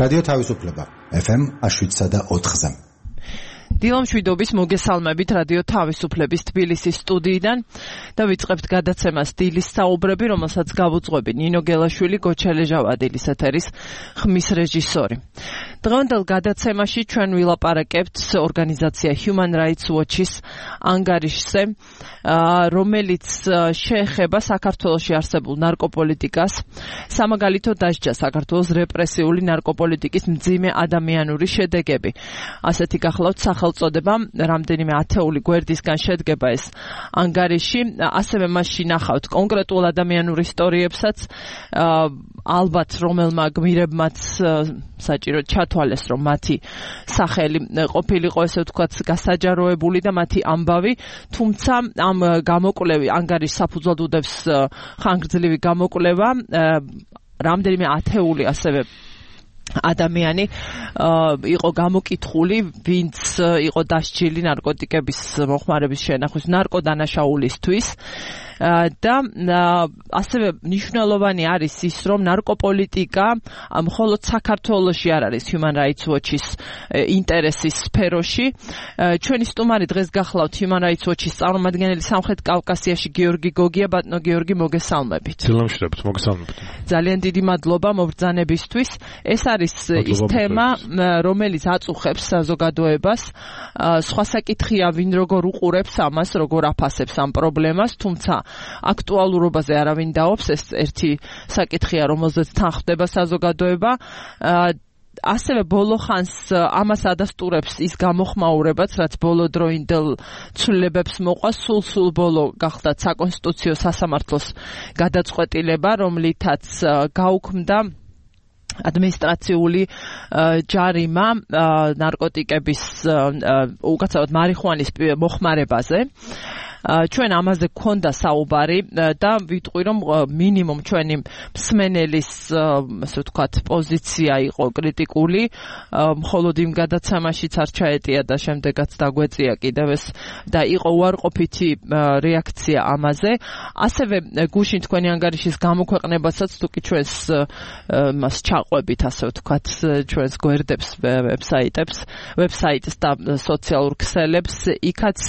რადიო თავისუფლება FM 107.4-ზე. დილამშვიდობის მოგესალმებით რადიო თავისუფლების თბილისის სტუდიიდან და ვიწყებთ გადაცემას დილის საუბრები, რომელსაც გავუძღვები ნინო გელაშვილი, გოჩელე ჟავადილის ეთერის ხმის რეჟისორი. დღევანდელ გადაცემაში ჩვენ ვილაპარაკებთ ორგანიზაცია Human Rights Watch-ის ანგარიშზე, რომელიც შეეხება საქართველოში არსებულ ნარკოპოლიტიკას, სამაგალითო დასჯა საქართველოს რეპრესიული ნარკოპოლიტიკის მძიმე ადამიანური შედეგები. ასეთი გახლავთ სახელწოდება, რამდენიმე ათეული გვერდისგან შედგება ეს ანგარიში, ასევე მასში ნახავთ კონკრეტულ ადამიანურ ისტორიებსაც, ალბათ რომელმა გმირებმაც საჭირო ჩათვალეს, რომ მათი სახელი ყოფილიყო ესე ვთქვათ გასაჯაროებული და მათი ამბავი, თუმცა ამ გამოკვლევი ანგარიშს საფუძვლად უდევს ხანგრძლივი გამოკვლევა, რამდენიმე ათეული ასევე ადამიანი იყო გამოკითხული, ვინც იყო დასჯილი ნარკოტიკების მოხმარების შენახვის ნარკოდანაშაულისთვის და ასევე მნიშვნელოვანი არის ის, რომ ნარკოპოლიტიკა მხოლოდ საქართველოში არ არის Human Rights Watch-ის ინტერესის სფეროში. ჩვენი სტუმარი დღეს გახლავთ Human Rights Watch-ის წარმომადგენელი სამხრეთ კავკასიაში გიორგი გოგია. ბატონო გიორგი, მოგესალმებით. დილამშვიდობით, მოგესალმებით. ძალიან დიდი მადლობა მობრძანებისთვის. ეს არის ის თემა, რომელიც აწუხებს საზოგადოებას. სხვა საკითხია, ვინ როგორ უყურებს ამას, როგორ აფასებს ამ პრობლემას, თუმცა აქტუალურობაზე არავინ დაობს, ეს ერთი საკითხია, რომელზეც თან ხდება საზოგადოება. ასევე ბოლო ხანს ამას ადასტურებს ის გამოხმაურებაც, რაც ბოლოდროინდელ ცვლილებებს მოყვა, სულ ბოლო გახდა საკონსტიტუციო სასამართლოს გადაწყვეტილება, რომლითაც გაუქმდა ადმინისტრაციული ჯარიმა ნარკოტიკების უკაცრავად მარიხუანის მოხმარებაზე. ჩვენ ამაზე გქონდა საუბარი და ვიტყვი, რომ მინიმუმ ჩვენი მსმენელის ასე ვთქვათ პოზიცია იყო კრიტიკული, მხოლოდ იმ გადაცემაშიც არ ჩაეტია და შემდეგაც დაგვეწია კიდევ ეს და იყო უარყოფითი რეაქცია ამაზე. ასევე გუშინ თქვენი ანგარიშის გამოქვეყნებასაც თუ კი ჩვენს მას ჩაყვებით, ასე ვთქვათ, ჩვენს გვერდებს, ვებსაიტს და სოციალურ ქსელებს, იქაც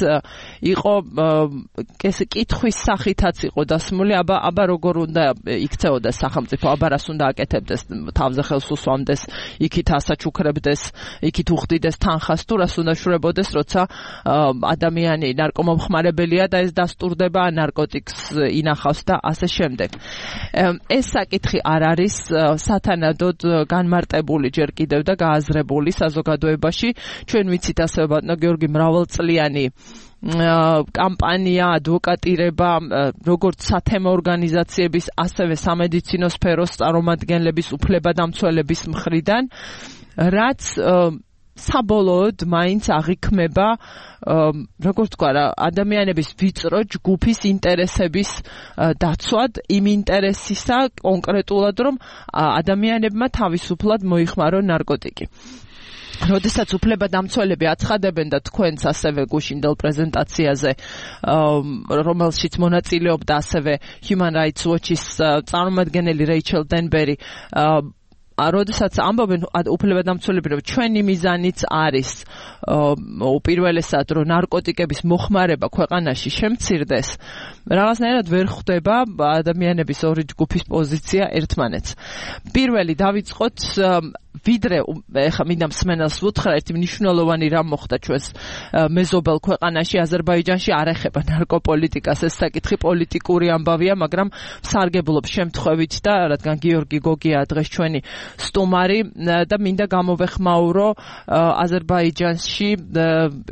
იყო კითხვის სახითაც იყო დასმული, აბა როგორ უნდა იქცეოდეს სახელმწიფო, აბა რას უნდა აკეთებდეს, თავზე ხელს უსვამდეს, იქით ასაჩუქრებდეს, იქით უხდიდეს თანხას, თუ რას უნდა შურებოდეს, როცა ადამიანი ნარკომომხმარებელია და ეს დასტურდება, ნარკოტიკს ინახავს და ასე შემდეგ. ეს საკითხი არ არის სათანადოდ განმარტებული ჯერ კიდევ და გააზრებული საზოგადოებაში. ჩვენ ვიცით ასევე ბატონო გიორგი მრავალწლიანი კამპანია, ადვოკატირება, როგორც სათემო ორგანიზაციების, ასევე სამედიცინო სფეროს წარმომადგენლების, უფლებადამცველების მხრიდან, რაც საბოლოოდ მაინც აღიქმება, როგორც თქვა, ადამიანების ვიწრო ჯგუფის ინტერესების დაცვად, იმ ინტერესისა კონკრეტულად, რომ ადამიანებმა თავისუფლად მოიხმარონ ნარკოტიკი. როდესაც უფლებადამცველები აცხადებენ და თქვენც ასევე გუშინდელ პრეზენტაციაზე, რომელშიც მონაწილეობდა ასევე Human Rights Watch-ის წარმომადგენელი რეიჩელ დენბერი, როდესაც ამბობენ უფლებადამცველები, რომ ჩვენი მიზანიც არის უპირველესად, რომ ნარკოტიკების მოხმარება ქვეყანაში შემცირდეს, რაღაცნაირად ვერ ხვდება ადამიანების ორი ჯგუფის პოზიცია ერთმანეთს. პირველი დავიწყოთ, ვიდრე ეხა მინდა მსმენელს ვუთხრა, ერთი მნიშვნელოვანი რამ მოხდა ჩვენს მეზობელ ქვეყანაში, აზერბაიჯანში არ ეხება ნარკოპოლიტიკას, ეს საკითხი პოლიტიკური ამბავია, მაგრამ ვსარგებლობ შემთხვევით და რადგან გიორგი გოგია დღეს ჩვენი სტუმარი და მინდა გამოვეხმაურო აზერბაიჯანში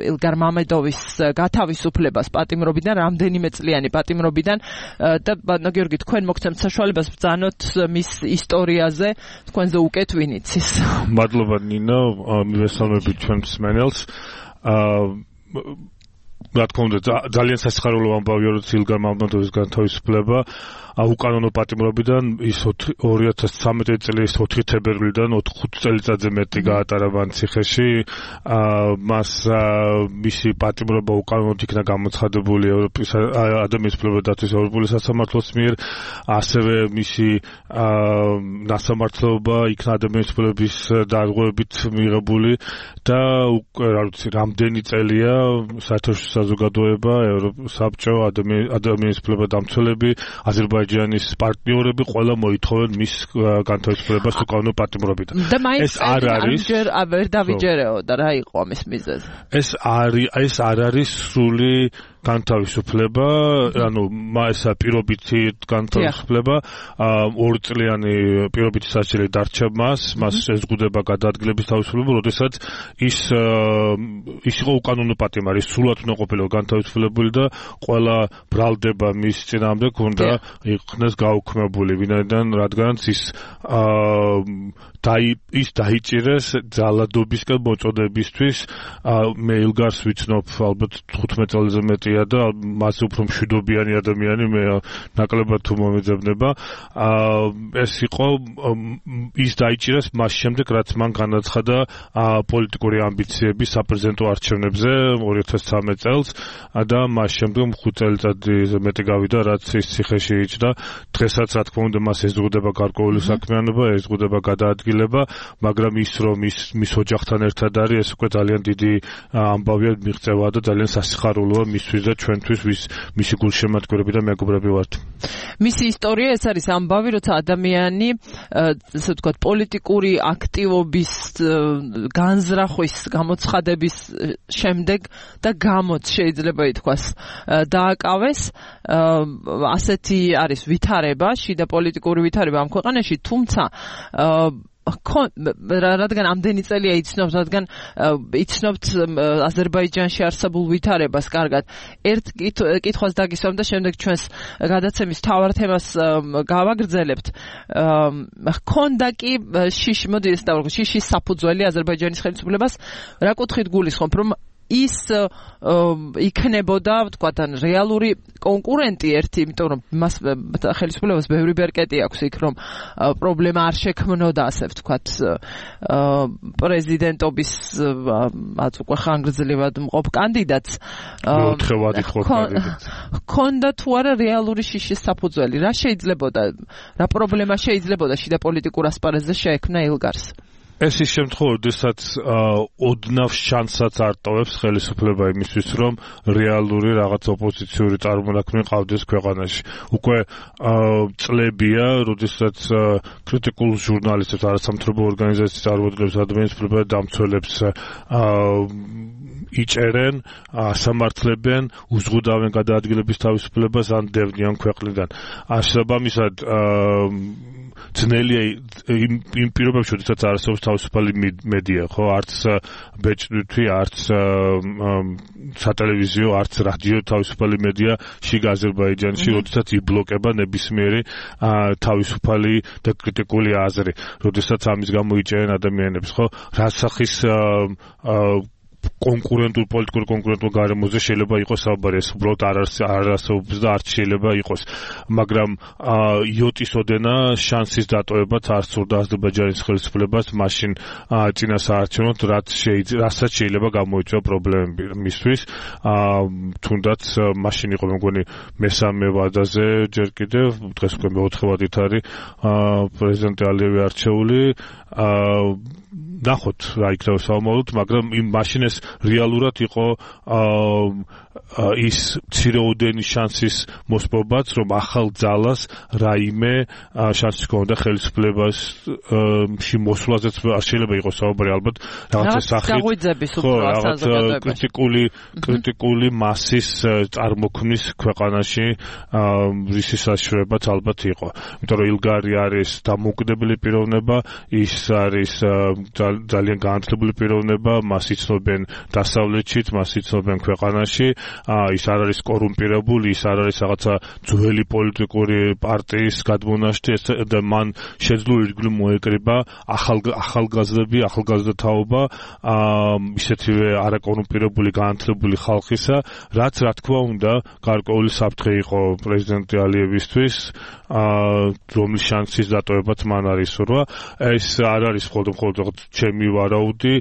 ილგარ მამედოვის გათავისუფლებას პატიმრობიდან, რამდენიმე წლიანი პატიმრობიდან და ბატონო გიორგი, თქვენ მოგცემთ საშუალებას ბრძანოთ მის ისტორიაზე, თქვენზე უკეთ ვინ იცის. მადლობა ნინო, მივესალმებით ჩვენ მსმენელს. რა თქმა უნდა, ძალიან სასიხარულო ამბავია, რომ ილგარ მამედოვის გათავისუფლება უკანონო პატიმრობიდან ის 2013 წლის 4 თებერვლიდან 5 წელიწადზე მეტი გაატარა ვანციხეში. მას მისი პატიმრობა უკანონოდ იქნა გამოცხადებული ევროპის ადამიანის უფლებათა დაცვის ევროპული სასამართლოს მიერ, ასევე მისი ნასამართლობა იქნა ადამიანის უფლებების დარღვევებით მიღებული და რამდენი წელია საერთაშორისო საზოგადოება, საბჭო, ადამიანის უფლებათა დამცველები, აზერბაიჯანის პარტნიორები ყველა მოითხოვენ მის განთავისუფლებას უკანონო პატიმრობიდან. ეს არ არის ვერ დავიჯერეოდა რა იყო ამის მიზეზი. ეს არ არის სრული განთავისუფლება, ანუ ესა პირობითი განთავისუფლება, 2 წლიანი პირობითი სასჯელი დარჩა მას შეზღუდება გადაადგილების თავისუფლება, როდესაც ის იყო უკანონო პატიმარი, სრულად უნდა ყოფილიყო განთავისუფლებული და ყველა ბრალდება მის წინააღმდეგ უნდა იქნეს გაუქმებული, რადგანაც ის დაიჭირეს ძალადობისკენ მოწოდებისთვის. მე ილგარს ვიცნობ ალბათ 15 წელზე მეტია და მასზე უფრო მშვიდობიანი ადამიანი მე ნაკლებად თუ მომეძებნება. ეს იყო ის დაიჭირეს მას შემდეგ, რაც მან განაცხადა პოლიტიკური ამბიციები საპრეზიდენტო არჩევნებზე 2013 წელს და მას შემდეგ 5 წელიწადზე მეტი გავიდა, რაც ის ციხეში იჯდა. დღესაც რა თქმა უნდა მას ეზღუდება გარკვეული საქმიანობა, ეზღუდება გადაადგილება, მაგრამ ის რომ მის ოჯახთან ერთად არის, ეს უკვე ძალიან დიდი ამბავია, მიღწევა და ძალიან სასიხარულოა მისთვის და ჩვენთვის, მისი გულშემატკივრები და მეგობრები ვართ. მისი ისტორია ეს არის ამბავი, როცა ადამიანი, ესე ვთქვათ, პოლიტიკური აქტივობის განზრახვის გამოცხადების შემდეგ და გამოც შეიძლება ითქვას დააკავეს. ასეთი არის ვითარება, შიდა პოლიტიკური ვითარება ამ ქვეყანაში, თუმცა რადგან ამდენი წელია იცნობთ, რადგან იცნობთ აზერბაიჯანში არსებულ ვითარებას კარგად, ერთ კითხვას დაგისვამ და შემდეგ ჩვენს გადაცემის მთავარ თემას გავაგრძელებთ. ჰქონდა კი შიშის საფუძველი აზერბაიჯანის ხელისუფლებას, რა კუთხით გულისხმობ, რომ ის იქნებოდა, ვთქვათ, რეალური კონკურენტი ერთი, იმიტომ რომ მას ხელისუფლებას ბევრი ბერკეტი აქვს იქ, რომ პრობლემა არ შექმნოდა, ასე ვთქვათ, პრეზიდენტობის უკვე ხანგრძლივად მყოფ კანდიდატს. ჰქონდა თუ არა რეალური შიშის საფუძველი, რა შეიძლებოდა, რა პრობლემა შეიძლებოდა შიდა პოლიტიკურ ასპარეზზე შეექმნა ილგარს? ეს ის შემთხვევა, როდესაც ოდნავ შანსსაც არ ტოვებს ხელისუფლება იმისთვის, რომ რეალური რაღაც ოპოზიციური წარმონაქმნი ყავდეს ქვეყანაში. უკვე წლებია, როდესაც კრიტიკულ ჟურნალისტებს, არასამთავრობო ორგანიზაციის წარმომადგენლებს, ადამიანის უფლებათა დამცველებს იჭერენ, ასამართლებენ, უზღუდავენ გადაადგილების თავისუფლებას ან დევნიან ქვეყნიდან. შესაბამისად, ძნელია იმ პირობებში, როდესაც არსებობს თავისუფალი მედია, ხო, არც ბეჭდვითი, არც სატელევიზიო, არც რადიო თავისუფალი მედია შიგ აზერბაიჯანში, როდესაც იბლოკება ნებისმიერი თავისუფალი და კრიტიკული აზრი, როდესაც ამის გამო იჭერენ ადამიანებს, ხო, რასახის პოლიტიკური კონკურენტულ გარემოზე შეიძლება იყოს საუბარი, ეს უბრალოდ არ არსებობს და არც შეიძლება იყოს, მაგრამ იოტის ოდენა შანსის დატოვებაც არ სურდა აზერბაიჯანის ხელისუფლებას მაშინ წინა საარჩევნოდ, რასაც შეიძლება გამოიწვია პრობლემები მისთვის, თუნდაც მაშინ იყო მეგონი მესამე ვადაზე ჯერ კიდევ, დღეს უკვე მეოთხე ვადით არის პრეზიდენტი ალიევი არჩეული, ნახოთ რა იქნება საომაროდ, მაგრამ იმ მაშინ ეს რეალურად იყო ის მცირეოდენი შანსის მოსპობაც, რომ ახალ ძალას რაიმე შანსი ჰქონდა ხელისუფლებაში მოსვლაზეც არ შეიძლება იყოს საუბარი, ალბათ რაღაცა სახით, კრიტიკული მასის წარმოქმნის ქვეყანაში რისის საშუალებაც ალბათ იყო. იმიტომ რომ ილგარი არის დამოუკიდებელი პიროვნება, ის არის ძალიან განათლებული პიროვნება, მას იცნობენ დასავლეთშიც, მას იცნობენ ქვეყანაში ის არ არის კორუმპირებული, ის არ არის რაღაცა ძველი პოლიტიკური პარტიის გადმონაშთი და მან შეძლო ირგვლივ მოეკრიბა ახალგაზრდები, ახალგაზრდა თაობა ისეთივე არაკორუმპირებული განათლებული ხალხისა, რაც რა თქმა უნდა გარკვეული საფრთხე იყო პრეზიდენტი ალიევისთვის, რომლის შანსის დატოვებაც მან არ ისურვა. ეს არ არის მხოლოდ ჩემი ვარაუდი,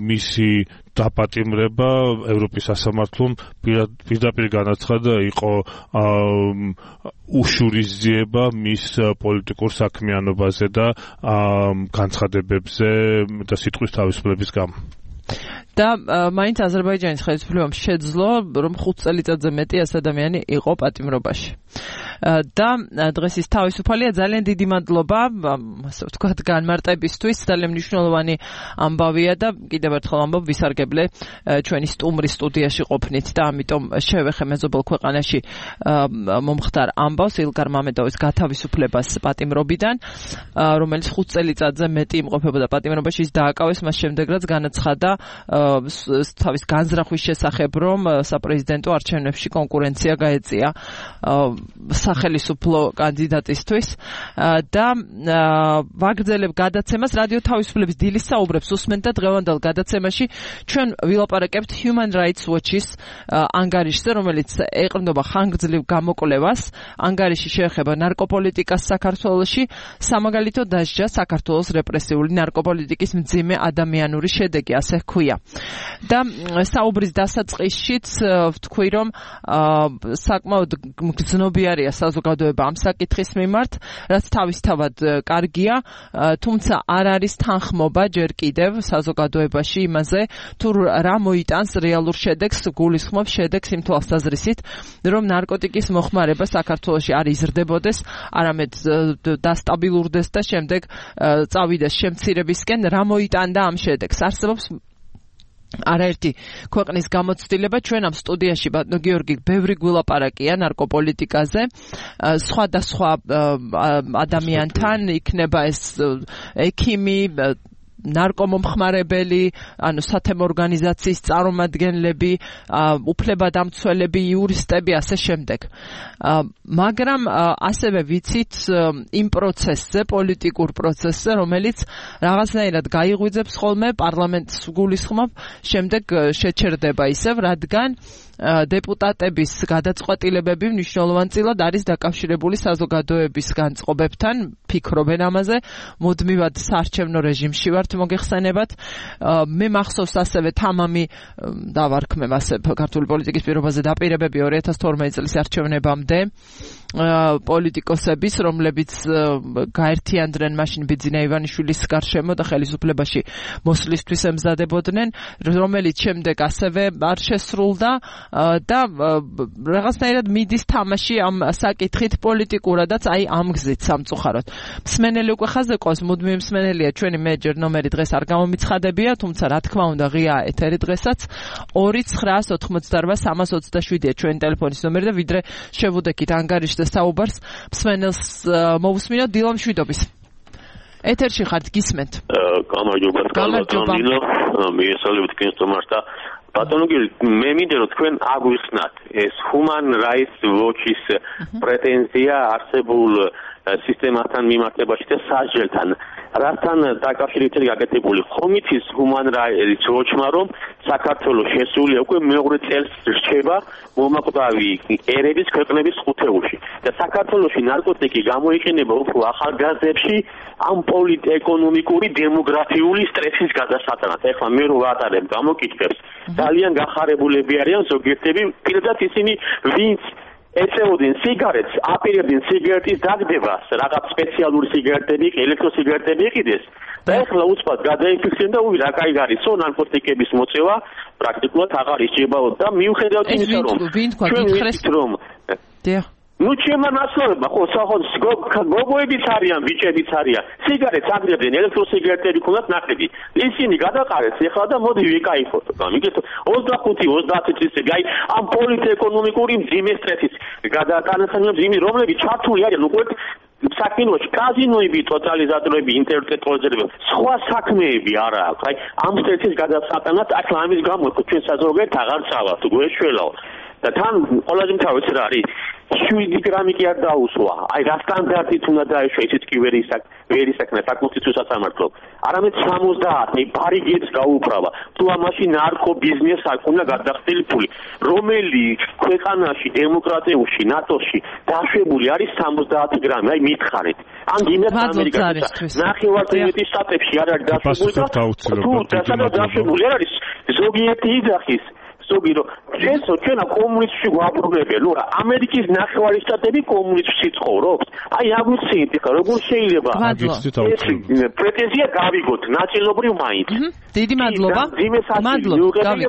მისი დაპატიმრება ევროპის სასამართლომ პირდაპირ განაცხადა იყო უშურისძიება მის პოლიტიკურ საქმიანობაზე და განცხადებებზე და სიტყვის თავისუფლების გამო. და მაინც აზერბაიჯანის ხელისუფლებამ შეძლო, რომ 5 წელიწადზე მეტი ეს ადამიანი იყო პატიმრობაში. და დღეს ის თავისუფალია, ძალიან დიდი მადლობა, ასე ვთქვათ, განმარტებისთვის, ძალიან მნიშვნელოვანი ამბავია და კიდევ ერთხელ ამბობ ვისარგებლე ჩვენი სტუმრის სტუდიაში ყოფნით და ამიტომ შევეხე მეზობელ ქვეყანაში მომხდარ ამბავს ილგარ მამედოვის გათავისუფლებას პატიმრობიდან, რომელიც 5 წელიწადზე მეტი იმყოფებოდა პატიმრობაში, ის დააკავეს მას შემდეგ, რაც განაცხადა თავის განზრახვის შესახებ, რომ საპრეზიდენტო არჩევნებში კონკურენცია გაეწია სახელმწიფო კანდიდატისთვის და ვაგრძელებ გადაცემას რადიო თავისუფლების დილის საუბრებს უსმენთ და დღევანდელ გადაცემაში ჩვენ ვილაპარაკებთ Human Rights Watch-ის ანგარიშზე, რომელიც ეყრდნობა ხანგრძლივ გამოკვლევას. ანგარიში შეეხება ნარკოპოლიტიკას საქართველოში, სამაგალითო დასჯა საქართველოს რეპრესიული ნარკოპოლიტიკის მძიმე ადამიანური შედეგი, ასე ჰქვია. და საუბრის დასაწყისშიც ვთქვი, რომ საკმაოდ გრძნობიარია საზოგადოება ამ საკითხის მიმართ, რაც თავისთავად კარგია, თუმცა არ არის თანხმობა ჯერ კიდევ საზოგადოებაში იმაზე, თუ რა მოიტანს რეალურ შედეგს, გულისხმობს შედეგს იმ თვალსაზრისით, რომ ნარკოტიკის მოხმარება საქართველოში არ იზრდებოდეს, არამედ დასტაბილურდეს და შემდეგ წავიდეს შემცირებისკენ, რა მოიტანდა ამ შედეგს. არსებობს არაერთი ქვეყნის გამოცდილება, ჩვენ ამ სტუდიაში ბატონო გიორგი ბევრი გვილაპარაკია ნარკოპოლიტიკაზე, სხვადასხვა ადამიანთან, იქნება ეს ექიმი, ნარკომომხმარებელი, ანუ სათემო ორგანიზაციის წარმომადგენლები, უფლებადამცველები, იურისტები, ასე შემდეგ. მაგრამ ასევე ვიცით იმ პროცესზე, პოლიტიკურ პროცესზე, რომელიც რაღაცნაირად გაიღვიძებს ხოლმე პარლამენტს გულისხმობ, შემდეგ შეჩერდება ისევ, რადგან დეპუტატების გადაწყვეტილებები მნიშვნელოვანწილად არის დაკავშირებული საზოგადოების განწყობებთან, ფიქრობენ ამაზე, მუდმივად საარჩევნო რეჟიმში ვართ მოგეხსენებათ. მე მახსოვს ასევე თამამი დავარქმევ ასე ქართული პოლიტიკის პირობაზე დაპირებები 2012 წლის არჩევნებამდე პოლიტიკოსების, რომლებიც გაერთიანდნენ მაშინ ბიძინა ივანიშვილის გარშემო და ხელისუფლებაში მოსვლისთვის ემზადებოდნენ, რომელიც შემდეგ ასევე არ შესრულდა და რაღაცნაირად მიდის თამაში ამ საკითხით პოლიტიკურადაც, აი ამ გზით სამწუხაროდ. მსმენელი უკვე ხაზზე ყავს, მუდმივი მსმენელია ჩვენი მეჯერ ნომერი დღეს არ გამომიცხადებია, თუმცა რა თქმა უნდა ღია ეთერი დღესაც 2988327-ია ჩვენი ტელეფონის ნომერი და ვიდრე შევუდექით ანგარიშზე საუბარს, მსმენელს მოვუსმინოთ დილა მშვიდობის. ეთერში ხართ, გისმენთ. გამარჯობა. მიესალმებით თქვენს სტუმარს და ბატონო გიორგი, მე მინდა რომ თქვენ აგვიხსნათ ეს Human Rights Watch-ის პრეტენზია არსებულ სისტემასთან მიმართებაში და სასჯელთან. რასთან დაკავშირებით გაკეთებული ხომითის Human Rights Watch-მა, რომ საქართველოს შესულია უკვე მეორე წელს რჩება მომაკვდავი ერების ქვეყნების ხუთეულში. და საქართველოში ნარკოტიკი გამოიყენება უფრო ახალგაზრდებში ამ პოლიტ-ეკონომიკური დემოგრაფიული სტრესის გადასატანად. ეხლა მე რო ვატარებ გამოკითხვებს, ძალიან გახარებულები არიან ზოგიერთები, პირდაპირ ისინი, ვინც ეწეოდნენ სიგარეტს, აპირებდნენ სიგარეტის დაგდებას, რაღაც სპეციალური სიგარეტები, ელექტროსიგარეტები იყიდეს. და ეხლა უცბად გადაიფიქსირდნენ და რა კაი გარისო ნარკოტიკების მოწევა პრაქტიკულად აღარ ისჯებაოდ და მიუხედავად იმისა, რომ ჩვენ ვიცით რომ ნუ ჩემმა ნაცნობებმა ხო სახოს გოგოებიც არიან, ბიჭებიც არიან. სიგარეტს აგდებდნენ, ელექტროსიგარეტები ქონდათ ნაკლები. ისინი გადაყარეს ეხლა და მოდი ვიკაიფოთ. მიგეთ 25-30 წლის გაი ამ პოლიტ-ეკონომიკური მძიმე სტრესის გადატანასთან მიმ რომლებიც ჩართული არიან უკვე საქმეებში კაზინოები, ტოტალიზატორები, ინტერნეტ ტელევიზორები, სხვა საქმეები არა აქვს. აი ამ სტრესის გადასატანად ახლა ამის გამო ჩვენ საზოგადოებრივ აღარ წავალთ, გვეშველაო. და თან ყველაზე მთავარიც რა არის? 7 გრამი კი არ დაუსვა. აი რა სტანდარტით უნდა დაეშვა, ისიც კი ვერ ისაკნა საკონსტიტუციო სასამართლო. არამედ 70, ბარიგებს გაუправა. თუ ამაში ნარკო ბიზნეს აქვს უნდა გადახდილი ფული. რომელი ქვეყანაში დემოკრატიულში, ნატოში დაშვებული არის 70 გრამი? აი მითხარით. ან გინდათ ამერიკაში. ნახევარწრიული შტატებში არ არის დაშვებული და თუ დაშვებული არ არის ზოგიერთი იძახის ზოგირო ჩვენა კომუნისტში გვაბრუნებია. ნუ ამერიკის ნახევარი შტატები კომუნისტში ცხოვრობს. აი აგვიცით ხა როგორ შეიძლება პრეტენზია გავიგოთ ნაწილობრივ მაინც. დიდი მადლობა.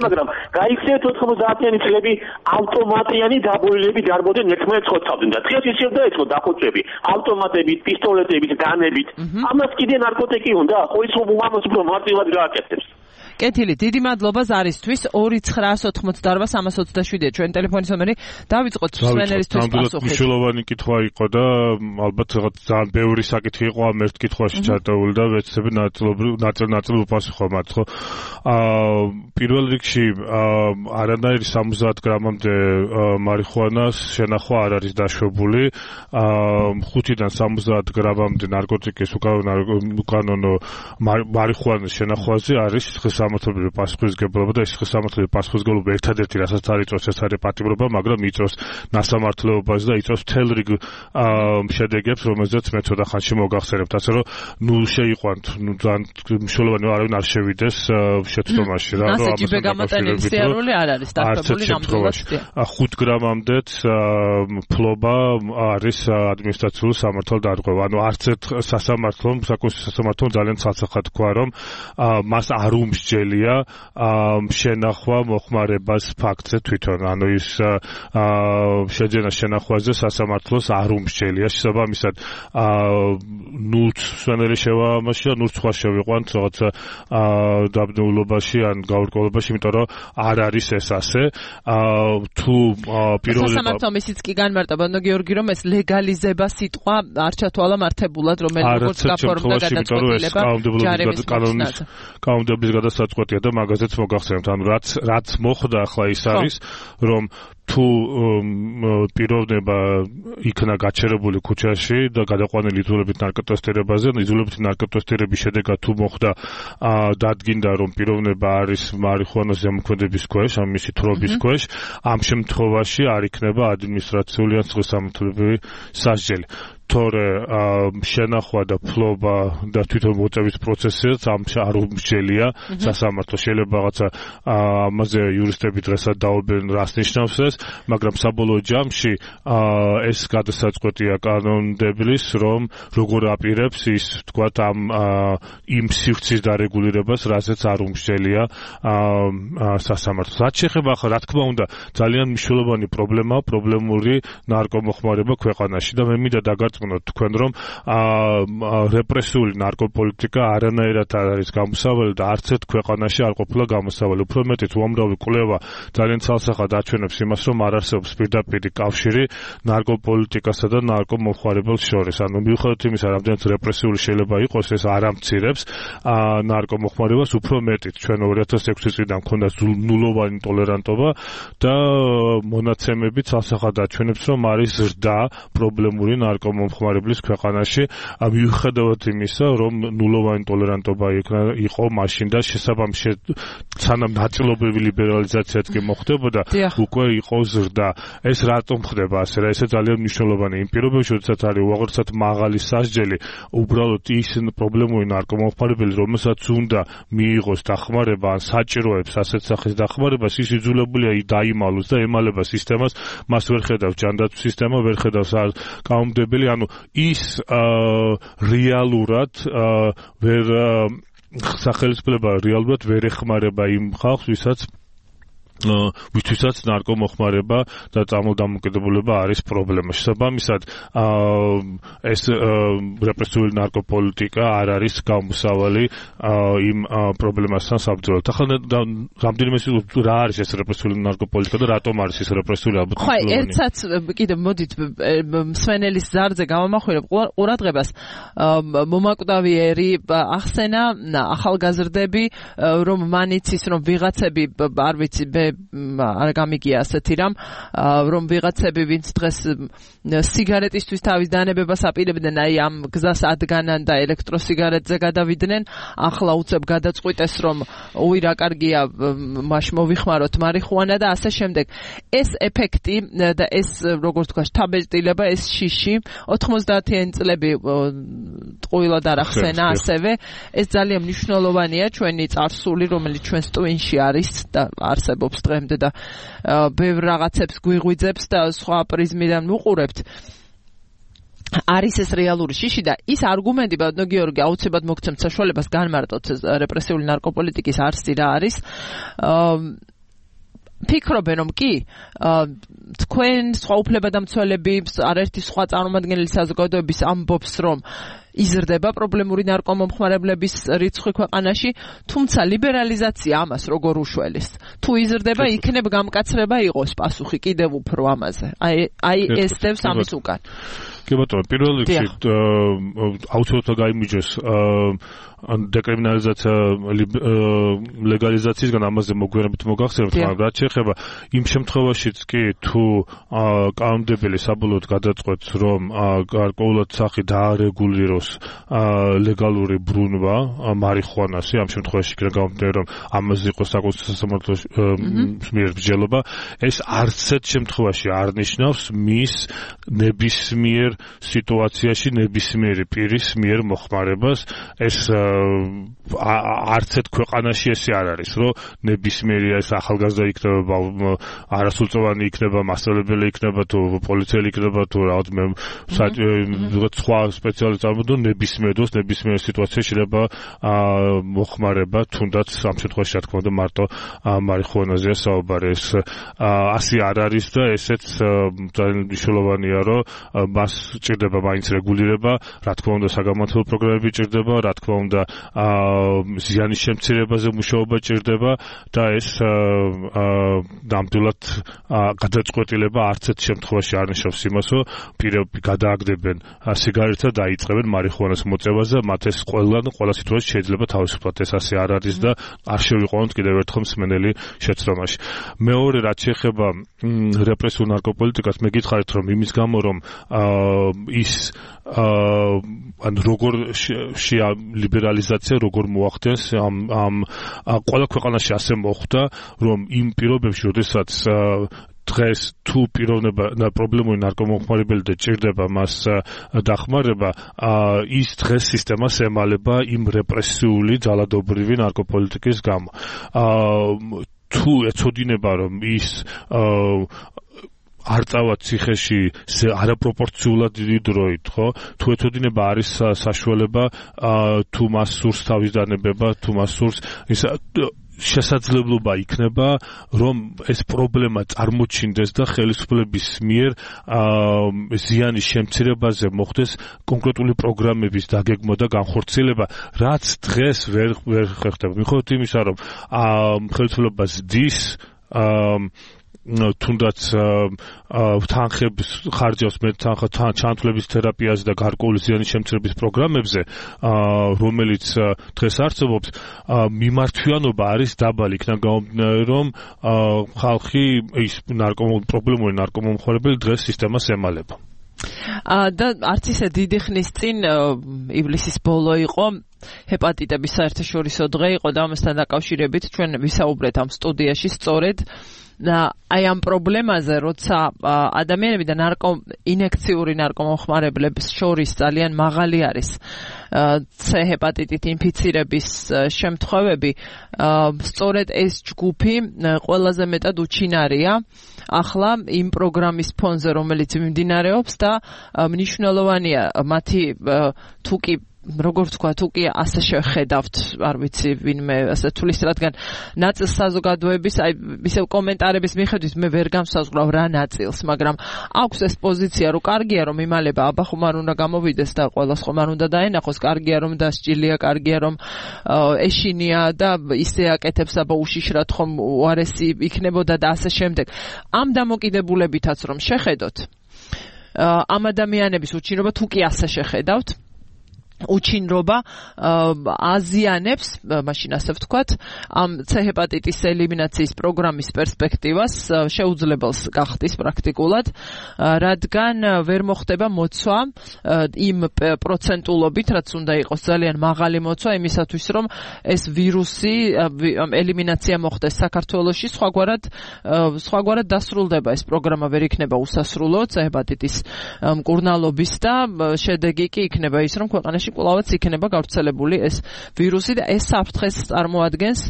მაგრამ გაიქცეთ 90-იანი წლები ავტომატიანი დაბოილები დარბოდნენ ერთმანეთს ხოცავდნენ და დღეს ისევ დაიწყო დახოჭები ავტომატებით, პისტოლეტებით, განებით. ამას კიდე ნარკოტიკი უნდა? ხო ის უმამოს უფრო მარტივად გააკეთებს. კეთილი, დიდი მადლობა ზარისთვის. 2988-327-ია ჩვენ ტელეფონის ნომერი. დავიწყოთ სვენერისთვის პასუხი. მნიშვნელოვანი კითხვა იყო და ალბათ რაღაც ძალიან ბევრი საკითხი იყო ამ ერთ კითხვაში ჩატეული და ვეცდები ნაწილ უპასუხო მათ, ხო? პირველ რიგში არანაირი 70 გრამამდე მარიხუანას შენახვა არ არის დაშვებული. 5-დან 70 გრამამდე ნარკოტიკის უკანონო მარიხუანის შენახვაზე არის სამართლებრივი პასუხისმგებლობა და ეს სამართლებრივი პასუხისმგებლობა ერთადერთი რასაც არ იწვევს ეს არის პატიმრობა, მაგრამ იწვევს ნასამართლეობას და იწვევს მთელ რიგ შედეგებს, რომელზეც მე ცოტა ხანში მოგახსენებთ, ასე რომ ნუ შეიყვანთ, ნუ ძალიან მნიშვნელოვანი არავინ არ შევიდეს შეცდომაში რა, რომ ამას გამატენილი სიარული არ არის დაფებული ნამდვილად. 5 გრამამდეც ფლობა არის ადმინისტრაციული სამართალდარღვევა. ანუ არც ერთ სასამართლომ, საკონსტიტუციო სასამართლომ ძალიან ცალსახად თქვა, რომ მას არ უმსჯელია შენახვა მოხმარებას ფაქტზე თვითონ. ანუ ის შეძენა შენახვაზე სასამართლოს არ უმსჯელია. შესაბამისად, ნულს სვენელი შევამაში და ნულს სხვა შევიყვანთ რაღაცა დაბნეულობაში ან გაურკვევლობაში, იმიტომ რომ არ არის ეს ასე. თუ პირველი სასამართლომ ისიც კი განმარტება, გიორგი, რომ ეს ლეგალიზება სიტყვა არ ჩათვალა მართებულად, რომელიც როგორც გაფორმდა გადაწყვეტილება ჯარების კანონის კანონების გადასაწყვეტია და მაგაზეც მოგახსენებთ. ანუ რაც მოხდა ახლა ის არის, რომ თუ პიროვნება იქნა გაჩერებული ქუჩაში და გადაყვანილი იძულებით ნარკოტესტირებაზე, იძულებით ნარკოტესტირების შედეგად თუ მოხდა დადგინდა, რომ პიროვნება არის მარიხუანას ზემოქმედების ქვეშ, ან მისი თხრობის ქვეშ, ამ შემთხვევაში არ იქნება ადმინისტრაციული ან სხვა სამართლებრივი სასჯელი. თორე შენახვა და ფლობა და თვითონ მოწევის პროცესიც ამ არ უმსჯელია სასამართლო. შეიძლება რაღაცა ამაზე იურისტები დღესაც დაობენ რას ნიშნავს ეს, მაგრამ საბოლოო ჯამში ეს გადასაწყვეტია კანონმდებლის, რომ როგორ აპირებს ის თქვათ იმ სივრცის დარეგულირებას, რასაც არ უმსჯელია სასამართლო. რაც შეეხება ახლა, რა თქმა უნდა, ძალიან მნიშვნელოვანი პრობლემაა პრობლემური ნარკომოხმარება ქვეყანაში და მე მინდა დაგარწმუნოთ თქვენ, რომ რეპრესიული ნარკოპოლიტიკა არანაირად არ არის გამოსავალი და არც ერთ ქვეყანაში არ ყოფილა გამოსავალი. უფრო მეტიც უამრავი კვლევა ძალიან ცალსახად აჩვენებს იმას, რომ არ არსებობს პირდაპირი კავშირი ნარკოპოლიტიკასა და ნარკომოხმარებელს შორის. ანუ მიუხედავად იმისა, რამდენიც რეპრესიული შეიძლება იყოს, ეს არ ამცირებს ნარკომოხმარებას. უფრო მეტიც ჩვენ 2006 წლიდან მქონდა ნულოვანი ტოლერანტობა და მონაცემები ცალსახად აჩვენებს, რომ არის ზრდა პრობლემური ნარკომოხმარებლის ქვეყანაში, მიუხედავად იმისა, რომ ნულოვანი ტოლერანტობა იყო მაშინ და შესაბამისად სანამ ნაწილობრივი ლიბერალიზაციაც კი მოხდებოდა, უკვე იყო ზრდა. ეს რატომ ხდება ასე? რა ესე ძალიან მნიშვნელოვანი იმ პირობებში, როდესაც არის უაღრესად მაღალი სასჯელი, უბრალოდ ის პრობლემური ნარკომოხმარებელი, რომელსაც უნდა მიიღოს დახმარება ან საჭიროებს ასეთ სახის დახმარებას, ის იძულებულია დაიმალოს და ემალება სისტემას, მას ვერ ხედავს ჯანდაცვის სისტემა, ვერ ხედავს კანონმდებელი, ანუ ის რეალურად სახელმწიფო რეალურად ვერ ეხმარება იმ ხალხს, ვისაც ვისთვისაც ნარკომოხმარება და წამოდამოკიდებულება არის პრობლემა. შესაბამისად, ეს რეპრესიული ნარკოპოლიტიკა არ არის გამოსავალი იმ პრობლემასთან საბრძოლოდ. ახლა რამდენიმე რა არის ეს რეპრესიული ნარკოპოლიტიკა და რატომ არის ეს რეპრესიული ალბათ? ხო, ერთსაც კიდევ მოდით მსვენელის ზარზე გამომახვირებ ყურადღებას. მომაკვდავიერი ახსენა ახალგაზრდები, რომ მან იცის, რომ ვიღაცები არ ვიცი არ გამიგია ასეთი რამ, რომ ვიღაცები ვინც დღეს სიგარეტისთვის თავის დანებებას აპირებდნენ, აი ამ გზას ადგანან და ელექტროსიგარეტზე გადავიდნენ, ახლა უცებ გადაწყვიტეს, რომ უი რა კარგია, მაშ მოვიხმაროთ მარიხუანა და ასე შემდეგ. ეს ეფექტი და ეს როგორც თქვა შთაბეჭდილება, ეს შიში 90-იანი წლები ტყუილად არ ახსენა ასევე, ეს ძალიან მნიშვნელოვანია ჩვენი წარსული, რომელიც ჩვენს ტვინში არის და არსებობს დღემდე და ბევრ რაღაცებს გვიღვიძებს და სხვა პრიზმიდან ვუყურებთ. არის ეს რეალური შიში და ის არგუმენტი, ბატონო გიორგი, აუცილებლად მოგცემთ საშუალებას განმარტოთ რეპრესიული ნარკოპოლიტიკის არსი რა არის. ფიქრობენ, რომ კი, თქვენ სხვა უფლებადამცველები, არაერთი სხვა წარმომადგენელი საზოგადოების ამბობს, რომ იზრდება პრობლემური ნარკომომხმარებლების რიცხვი ქვეყანაში, თუმცა ლიბერალიზაცია ამას როგორ უშველის? თუ იზრდება, იქნებ გამკაცრება იყოს პასუხი კიდევ უფრო ამაზე. აი ეს დევს ამის უკან. კი ბატონო, პირველ რიგში აუცილებლად გაიმიჯოს დეკრიმინალიზაცია ლეგალიზაციისგან ამაზე მოგვიანებით მოგახსენებთ, მაგრამ რაც შეეხება იმ შემთხვევაშიც კი თუ კანონმდებელი საბოლოოდ გადაწყვეტს, რომ გარკვეულად სახით დაარეგულიროს ლეგალური ბრუნვა მარიხუანასი, ამ შემთხვევაში კი გამომდინარე, რომ ამაზე იყოს საკონსტიტუციო სასამართლოს მიერ მსჯელობა, ეს არც ერთ შემთხვევაში არ ნიშნავს მის ნებისმიერ სიტუაციაში ნებისმიერი პირის მიერ მოხმარებას. ეს არც ერთ ქვეყანაში ესე არ არის, რომ ნებისმიერი ეს ახალგაზრდა იქნება, არასრულწლოვანი იქნება, მასწავლებელი იქნება, თუ პოლიციელი იქნება, თუ რაოდენიმე სხვა სპეციალური წარმომადგენელი ნებისმიერ დროს ნებისმიერ სიტუაციაში შეიძლება მოხმარება, თუნდაც ამ შემთხვევაში რა თქმა უნდა მარტო მარიხუანაზეა საუბარი. ეს ასე არ არის და ესეც ძალიან მნიშვნელოვანია, რომ მას ჭირდება მაინც რეგულირება, რა თქმა უნდა საგამართლებლო პროგრამები ჭირდება, რა თქმა უნდა ზიანის შემცირებაზე მუშაობა ჭირდება და ეს ნამდვილად გადაწყვეტილება არც ერთ შემთხვევაში არ ნიშნავს იმას, რომ პირები გადააგდებენ სიგარეტს და დაიწყებენ მარიხუანას მოწევაზე, მათ ეს ყველა სიტუაციაში შეიძლება თავისუფლად ეს ასე არ არის და არ შევიყვანოთ კიდევ ერთხელ მსმენელი შეცდომაში. მეორე, რაც შეეხება რეპრესიულ ნარკოპოლიტიკას, მე გითხარით, რომ იმის გამო, რომ ის ან როგორ ლიბერალიზაცია როგორ მოახდენს ამ ყველა ქვეყანაში ასე მოხდა, რომ იმ პირობებში, როდესაც დღეს თუ პრობლემური ნარკომომხმარებელი და ჭირდება მას დახმარება, ის დღეს სისტემას ემალება იმ რეპრესიული ძალადობრივი ნარკოპოლიტიკის გამო. თუ ეცოდინება, რომ ის არ წავა ციხეში არაპროპორციულად დიდი დროით, ხო? თუ ეცოდინება არის საშუალება, თუ მას სურს თავის დანებება, თუ მას სურს ის შესაძლებლობა იქნება, რომ ეს პრობლემა წარმოჩინდეს და ხელისუფლების მიერ ზიანის შემცირებაზე მოხდეს კონკრეტული პროგრამების დაგეგმვა და განხორციელება, რაც დღეს ვერ ხდება. მიუხედავად იმისა, რომ ხელისუფლება ზრდის თუნდაც თანხების ხარჯავს ჩანთვლების თერაპიაზე და გარკვეული ზიანის შემცირების პროგრამებზე, რომელიც დღეს არსებობს, მიმართვიანობა არის დაბალი, იქიდან გამომდინარე, რომ ხალხი ის პრობლემური ნარკომომხმარებელი დღეს სისტემას ემალება. და არც ისე დიდი ხნის წინ ივლისის ბოლო იყო, ჰეპატიტების საერთაშორისო დღე იყო და ამასთან დაკავშირებით ჩვენ ვისაუბრეთ ამ სტუდიაში სწორედ აი ამ პრობლემაზე, როცა ადამიანები და ინექციური ნარკომომხმარებლების შორის ძალიან მაღალი არის C ჰეპატიტით ინფიცირების შემთხვევები, სწორედ ეს ჯგუფი ყველაზე მეტად უჩინარია ახლა იმ პროგრამის ფონზე, რომელიც მიმდინარეობს და მნიშვნელოვანია მათი თუ კი როგორ ვთქვა, თუ კი ასე შეხედავთ, არ ვიცი, ვინმე ასე თulis, რადგან ნაწილ საზოგადოების, აი, ისევ კომენტარების მიხედვით მე ვერ განსაზღვრავ რა ნაწილს, მაგრამ აქვს ეს პოზიცია, რომ კარგია, რომ იმალება, აბა ხომ არ უნდა გამოვიდეს და ყველას ხომ არ უნდა დაენახოს, კარგია, რომ დასჭილია, კარგია, რომ ეშინია და ისე აკეთებს, აბა უშიშრად ხომ უარესი იქნებოდა და ასე შემდეგ. ამ დამოკიდებულებითაც რომ შეხედოთ, ამ ადამიანების უჩინრობა თუ კი ასე შეხედავთ, უჩინრობა აზიანებს, მაშინ ასე ვთქვათ, ამ C ჰეპატიტის ელიმინაციის პროგრამის პერსპექტივას შეუძლებელს გახდის პრაქტიკულად, რადგან ვერ მოხდება მოცვა იმ პროცენტულობით, რაც უნდა იყოს ძალიან მაღალი მოცვა იმისათვის, რომ ეს ვირუსი ელიმინაცია მოხდეს საქართველოში, სხვაგვარად დასრულდება ეს პროგრამა, ვერ იქნება უსასრულო C ჰეპატიტის მკურნალობის და შედეგი კი იქნება ის, რომ ქვეყანაში კვლავაც იქნება გავრცელებული ეს ვირუსი და ეს საფრთხეს წარმოადგენს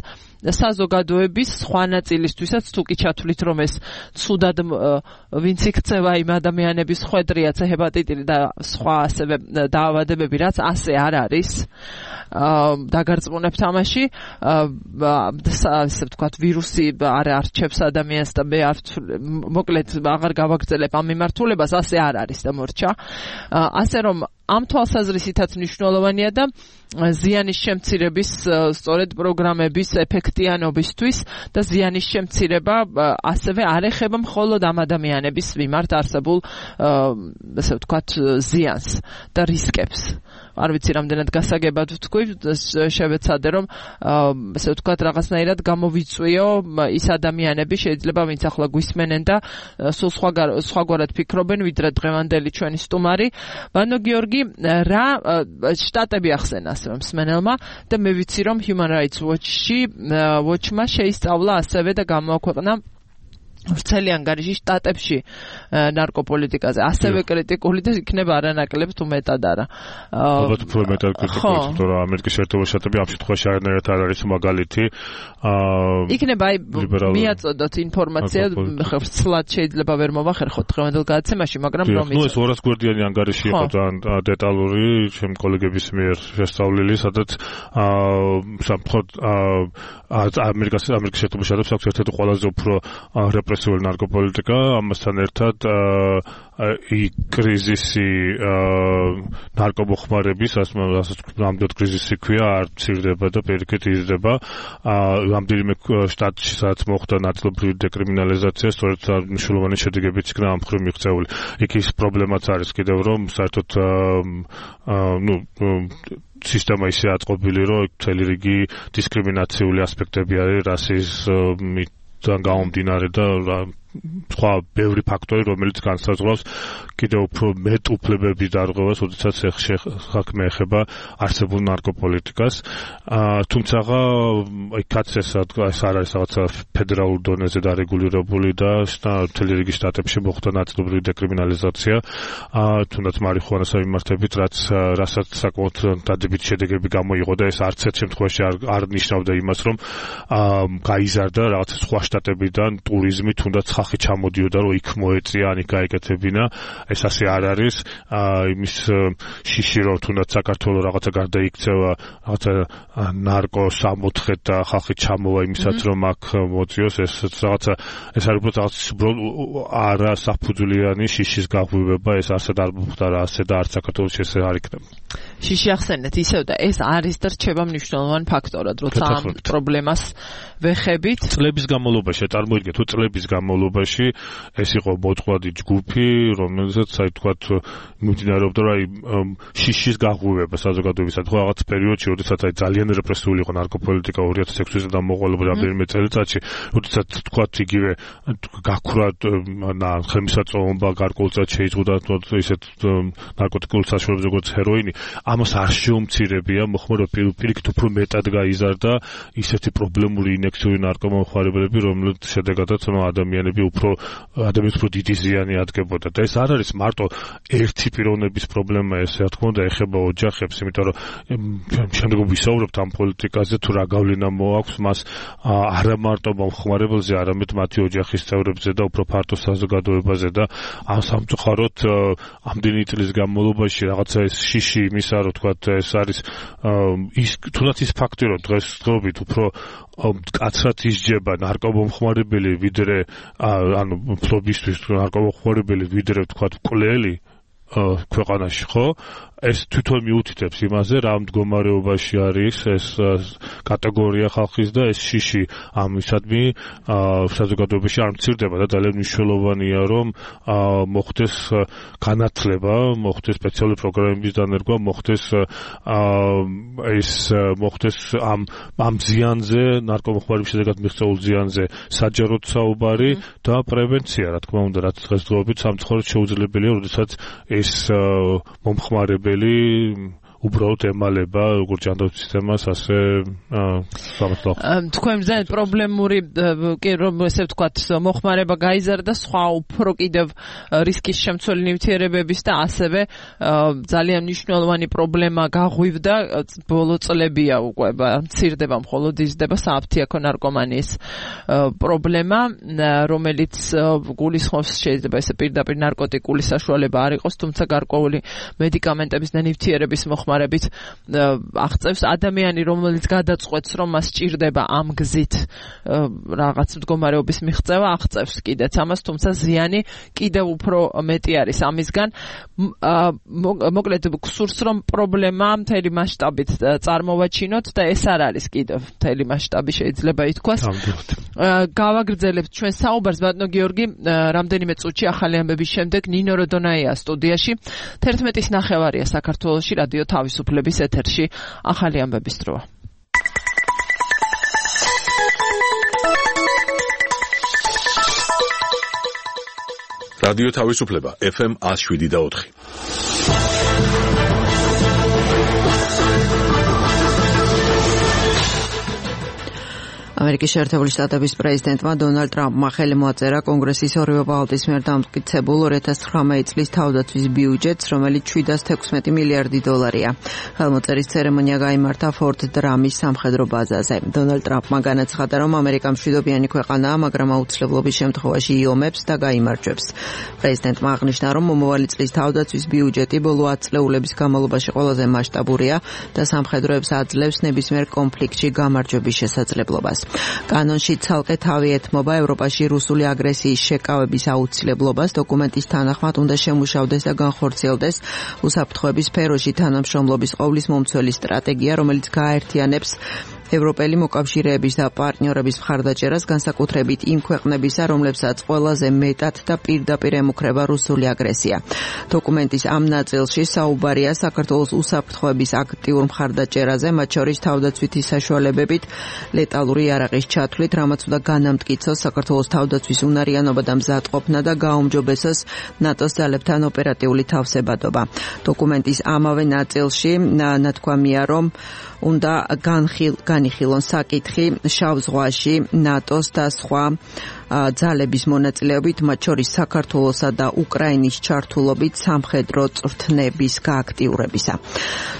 საზოგადოების სხვა ნაწილისთვისაც, თუ კი ჩათვლით, რომ ეს ცუდად ვინც იქცევა იმ ადამიანების ხვედრია C ჰეპატიტი და სხვა ასევე დაავადებები, რაც ასე არ არის დაგარწმუნებთ ამაში, ასე ვთქვათ, ვირუსი არ არჩევს ადამიანს და მე მოკლედ აღარ გავაგრძელებ ამ მიმართულებას, ასე არ არის და მორჩა. ასე რომ ამ თვალსაზრისითაც მნიშვნელოვანია და ზიანის შემცირების სწორედ პროგრამების ეფექტიანობისთვის და ზიანის შემცირება ასევე არ ეხება მხოლოდ ამ ადამიანების მიმართ არსებულ ასე ვთქვათ ზიანს და რისკებს. არ ვიცი რამდენად გასაგებად ვთქვი, შევეცადე რომ ასე ვთქვათ რაღაცნაირად გამოვიწვიო ის ადამიანები შეიძლება ვინც ახლა გვისმენენ და სულ სხვაგვარად ფიქრობენ ვიდრე დღევანდელი ჩვენი სტუმარი ვანო გიორგი რა შტატები ახსენა ასევე მსმენელმა და მე ვიცი რომ Human Rights Watch-მა შეისწავლა ასევე და გამოაქვეყნა ვრცელი ანგარიში შტატებში ნარკოპოლიტიკაზე ასევე კრიტიკული და იქნება არანაკლებ თუ მეტად არა. ალბათ უფრო მეტად კრიტიკული, თუმცა ამერიკის შეერთებული შტატები ამ შემთხვევაში არანაირად არ არის მაგალითი. იქნება აი მიაწოდოთ ინფორმაცია, ხრცლად შეიძლება ვერ მოვახერხოთ დღევანდელ გადაცემაში, მაგრამ რომ ის 200 გვერდიანი ანგარიში იყო ძალიან დეტალური ჩემი კოლეგების მიერ შესწავლილი, სადაც სამხოთ ამერიკის შეერთებული შტატებს აქვს ერთ-ერთი ყველაზე უფრო რეპრესიული ნარკოპოლიტიკა, ამასთან ერთად კრიზისი ნარკომოხმარების, რასაც ნამდვილად კრიზისი ქვია, არ მცირდება და პირიქით იზრდება. რამდენიმე შტატში, სადაც მოხდა ნაწილობრივი დეკრიმინალიზაცია, სწორედ მნიშვნელოვანი შედეგებიც იქნა ამ მხრივ მიღწეული. იქ ის პრობლემაც არის კიდევ, რომ საერთოდ სისტემა ისე აწყობილი, რომ მთელი რიგი დისკრიმინაციული ასპექტები არის რასიზმიდან გამომდინარე და სხვა ბევრი ფაქტორი, რომელიც განსაზღვრავს კიდევ უფრო მეტ უფლებების დარღვევას, როდესაც საქმე ეხება არსებულ ნარკოპოლიტიკას. თუმცა იქაც ეს არ არის რაღაცა ფედერალურ დონეზე დარეგულირებული და მთელი რიგი შტატებში მოხდა ნაწილობრივი დეკრიმინალიზაცია, თუნდაც მარიხუანას მიმართებით, რასაც საკმაოდ დადებითი შედეგები გამოიღო და ეს არც ერთ შემთხვევაში არ ნიშნავდა იმას, რომ გაიზარდა რაღაცა სხვა შტატებიდან ტურიზმი, თუნდაც ხალხი ჩამოდიოდა, რომ იქ მოეწია, ან იქ გაეკეთებინა. ეს ასე არ არის. იმის შიში, რომ თუნდაც საქართველოს რაღაცა გარდაიქცევა, რაღაცა ნარკოს ამოთხეთ და ხალხი ჩამოვა იმისაც, რომ აქ მოწიოს, ეს არის უბრალოდ არა საფუძვლიანი შიშის გაღვივება, ეს არსად არ მოხდა რა, ასე და არც საქართველოში ესე არ იქნება. შიში ახსენეთ ისევ და ეს არის და რჩება მნიშვნელოვანი ფაქტორად, როცა ამ პრობლემას ვეხებით. წლების განმავლობაში, წარმოიდგინეთ, თუ წლების განმავლობაში ეს იყო მოწყვლადი ჯგუფი, რომელზეც აი თქვათ მიმდინარეობდა რა შიშის გაღვივება საზოგადოებისადმი, ხო რაღაც პერიოდში, როდესაც აი ძალიან რეპრესიული იყო ნარკოპოლიტიკა 2006 წელს და მოყოლებული რამდენიმე წელიწადში, როდესაც თქვათ იგივე გაქრა ხელმისაწვდომობა გარკვეულწილად შეიზღუდა ისეთ ნარკოტიკულ საშუალებებს როგორც ჰეროინი, ამას არ შეუმცირებია, მოხმარო პირიქით უფრო მეტად გაიზარდა ისეთი პრობლემური ინექციური ნარკომანხმარებლები, რომლებიც შედეგადაც ადამიანები უფრო ადამიანს უფრო დიდი ზიანი ადგებოდა და ეს არ არის მარტო ერთი პიროვნების პრობლემა, ეს რა თქმა უნდა ეხება ოჯახებს, იმიტომ რომ შემდეგ ვისაუბრებთ ამ პოლიტიკაზე, თუ რა გავლენა მოაქვს მას არა მარტო მომხმარებელზე, არამედ მათი ოჯახის წევრებზე და უფრო ფართო საზოგადოებაზე და ამ სამწუხაროდ ამდენი წლის განმავლობაში რაღაცა ეს შიში იმისა, რომ თქვა ეს არის ის თუნდაც ის ფაქტი, რომ დღესდღეობით უფრო კაცრად ისჯება ნარკომომხმარებელი ვიდრე ანუ ფლობისთვის ნარკომომხმარებელი ვიდრე თქვა მკვლელი ქვეყანაში, ხო? ეს თვითონ მიუთითებს იმაზე, რა მდგომარეობაში არის ეს კატეგორია ხალხის და ეს შიში ამისადმი საზოგადოებაში არ მცირდება და ძალიან მნიშვნელოვანია, რომ მოხდეს განათლება, მოხდეს სპეციალური პროგრამების დანერგვა, მოხდეს ამ ზიანზე, ნარკომომხმარების შედეგად მიღწეულ ზიანზე საჯაროდ საუბარი და პრევენცია, რა თქმა უნდა, რაც დღესდღეობით სამწუხაროდ შეუძლებელია, როდესაც ეს მომხმარებელი უბრალოდ ემალება როგორც ჯანდაცვის სისტემას, ასე თქვენ ძალიან პრობლემური კი რომ ესე ვთქვათ მოხმარება გაიზარდა, სხვა უფრო კიდევ რისკის შემცველი ნივთიერებების და ასევე ძალიან მნიშვნელოვანი პრობლემა გაღვივდა ბოლო წლებია უკვე მცირდება, მხოლოდ იზრდება სააფთიაქო ნარკომანიის პრობლემა, რომელიც გულისხმობს შეიძლება ესე პირდაპირ ნარკოტიკული საშუალება არ იყოს, თუმცა გარკვეული მედიკამენტების და ნივთიერების მოხმარებით აღწევს ადამიანი, რომელიც გადაწყვეტს, რომ მას სჭირდება ამ გზით რაღაც მდგომარეობის მიღწევა, აღწევს კიდეც ამას, თუმცა ზიანი კიდევ უფრო მეტი არის ამისგან. მოკლედ გსურს, რომ პრობლემა მთელი მასშტაბით წარმოვაჩინოთ და ეს არ არის კიდევ მთელი მასშტაბი შეიძლება ითქვას. გავაგრძელებთ ჩვენ საუბარს, ბატონო გიორგი, რამდენიმე წუთში ახალი ამბების შემდეგ ნინო როდონაია სტუდიაში. 11:30 საქართველოში რადიო თავისუფლების ეთერში ახალი ამბების დროა. რადიო თავისუფლება FM 107.4. ამერიკის შეერთებული შტატების პრეზიდენტმა დონალდ ტრამპმა ხელი მოაწერა კონგრესის ორივე პალატის მიერ დამტკიცებულ 2019 წლის თავდაცვის ბიუჯეტს, რომელიც 716 მილიარდი დოლარია. ხელმოწერის ცერემონია გაიმართა ფორტ დრამის სამხედრო ბაზაზე. დონალდ ტრამპმა განაცხადა, რომ ამერიკა მშვიდობიანი ქვეყანაა, მაგრამ აუცილებლობის შემთხვევაში იომებს და გაიმარჯვებს. პრეზიდენტმა აღნიშნა, რომ მომავალი წლის თავდაცვის ბიუჯეტი ბოლო 10 წლეულების განმავლობაში ყველაზე მასშტაბურია და სამხედროებს აძლევს ნებისმიერ კონფლიქტში გამარჯვების შესაძლებლობას. კანონში ცალკე თავი ეთმობა ევროპაში რუსული აგრესიის შეკავების აუცილებლობას, დოკუმენტის თანახმად უნდა შემუშავდეს და განხორციელდეს უსაფრთხოების სფეროში თანამშრომლობის ყოვლის მომცველი სტრატეგია, რომელიც გააერთიანებს ევროპელი მოკავშირეების და პარტნიორების მხარდაჭერას, განსაკუთრებით იმ ქვეყნებისა, რომლებსაც ყველაზე მეტად და პირდაპირ ემუქრება რუსული აგრესია. დოკუმენტის ამ ნაწილში საუბარია საქართველოს უსაფრთხოების აქტიურ მხარდაჭერაზე, მათ შორის თავდაცვითი საშუალებებით, ლეტალური იარაღის ჩათვლით, რამაც უნდა განამტკიცოს საქართველოს თავდაცვის უნარიანობა და მზადყოფნა და გააუმჯობესოს ნატოს ძალებთან ოპერატიული თავსებადობა. დოკუმენტის ამავე ნაწილში ნათქვამია, რომ უნდა განიხილონ საკითხი შავ ზღვაში ნატოს და სხვა ძალების მონაწილეობით, მათ შორის საქართველოსა და უკრაინის ჩართულობით სამხედრო წვრთნების გააქტიურებისა.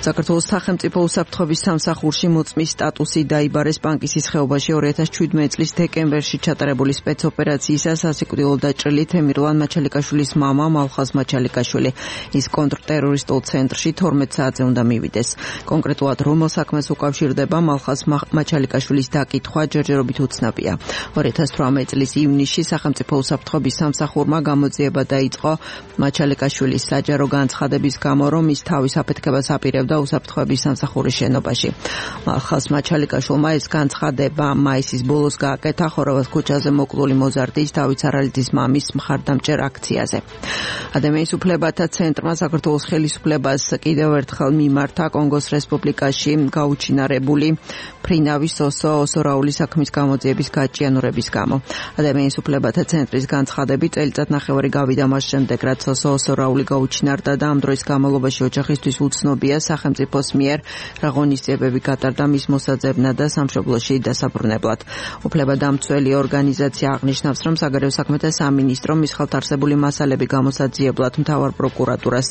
საქართველოს სახელმწიფო უსაფრთხოების სამსახურში მოწმის სტატუსი დაიბარეს პანკისის ხეობაში 2017 წლის დეკემბერში ჩატარებული სპეცოპერაციისას სასიკვდილო დაჭრილი თემირლან მაჩალიკაშვილის მამა მალხაზ მაჩალიკაშვილი. ის კონტრტერორისტულ ცენტრში 12 საათზე უნდა მივიდეს. კონკრეტულად რომელ საქმეს უკავშირდება მალხაზ მაჩალიკაშვილის დაკითხვა ჯერჯერობით უცნაურია. 2018 წლის ივნისში სახელმწიფო უსაფრთხოების სამსახურმა გამოძიება დაიწყო მაჩალიკაშვილის საჯარო განცხადების გამო, რომ ის თავის აფეთქებას აპირებდა უსაფრთხოების სამსახურის შენობაში. მალხაზ მაჩალიკაშვილმა ეს განცხადება მაისის ბოლოს გააკეთა ხორავად ქუჩაზე მოკლული მოზარდის დავით სარალიძის მამის მხარდამჭერ აქციაზე. ადამიანის უფლებათა ცენტრმა საქართველოს ხელისუფლებას კიდევ ერთხელ მიმართა კონგოს რესპუბლიკაში გაუჩინარებული ფრინავის ოსო რაულის საქმის გამოძიების გაჭიანურების გამო. ადამიანის უფლებათა ცენტრის განცხადებით წელიწად ნახევარი გავიდა მას შემდეგ, რაც ოსორაული გაუჩინარდა და ამ დროის განმავლობაში ოჯახისთვის უცნობია სახელმწიფოს მიერ რა ღონისძიებები გატარდა მის მოსაძებნად და სამშობლოში დასაბრუნებლად. უფლებადამცველი ორგანიზაცია აღნიშნავს, რომ საგარეო საქმეთა სამინისტრომ მის ხელთ არსებული მასალები გამოსაძიებლად მთავარ პროკურატურას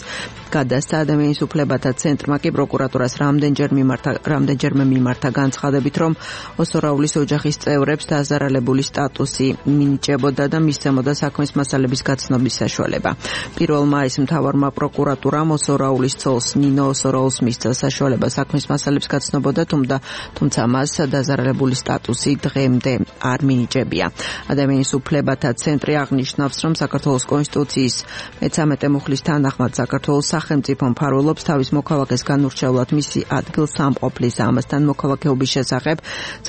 გადასცა. ადამიანის უფლებათა ცენტრმა კი პროკურატურას რამდენჯერმე მიმართა განცხადებით, რომ ოსორაულის ოჯახის წევრებს დაზარალებული სტატუსი მინიჭებოდა და მისცემოდა საქმის მასალების გაცნობის საშუალება. 1 მაისს მთავარმა პროკურატურამ ოსორაულის ცოლს ნინო ოსორაულს მისცა საშუალება საქმის მასალებს გაცნობოდა, თუმცა მას დაზარალებული სტატუსი დღემდე არ მინიჭებია. ადამიანის უფლებათა ცენტრი აღნიშნავს, რომ საქართველოს კონსტიტუციის 13 მუხლის თანახმად საქართველოს სახელმწიფო მფარველობს თავის მოქალაქეს განურჩევლად მისი ადგილსამყოფლის და ამასთან მოქალაქეობის შესახებ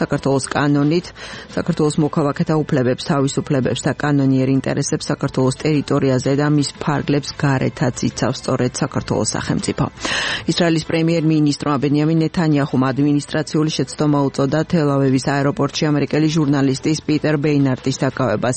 საქართველოს კანონით, საქართველოს მოქალაქეთა უფლებებს, თავისუფლებებს და კანონიერ ინტერესებს საქართველოს ტერიტორიაზე და მის ფარგლებს გარეთაც იცავს სწორედ საქართველოს სახელმწიფო. ისრაელის პრემიერ-მინისტრმა ბენიამინ ნეთანიაჰუმ ადმინისტრაციული შეცდომა უწოდა თელ-ავივის აეროპორტში ამერიკელი ჟურნალისტის პიტერ ბეინარტის დაკავებას.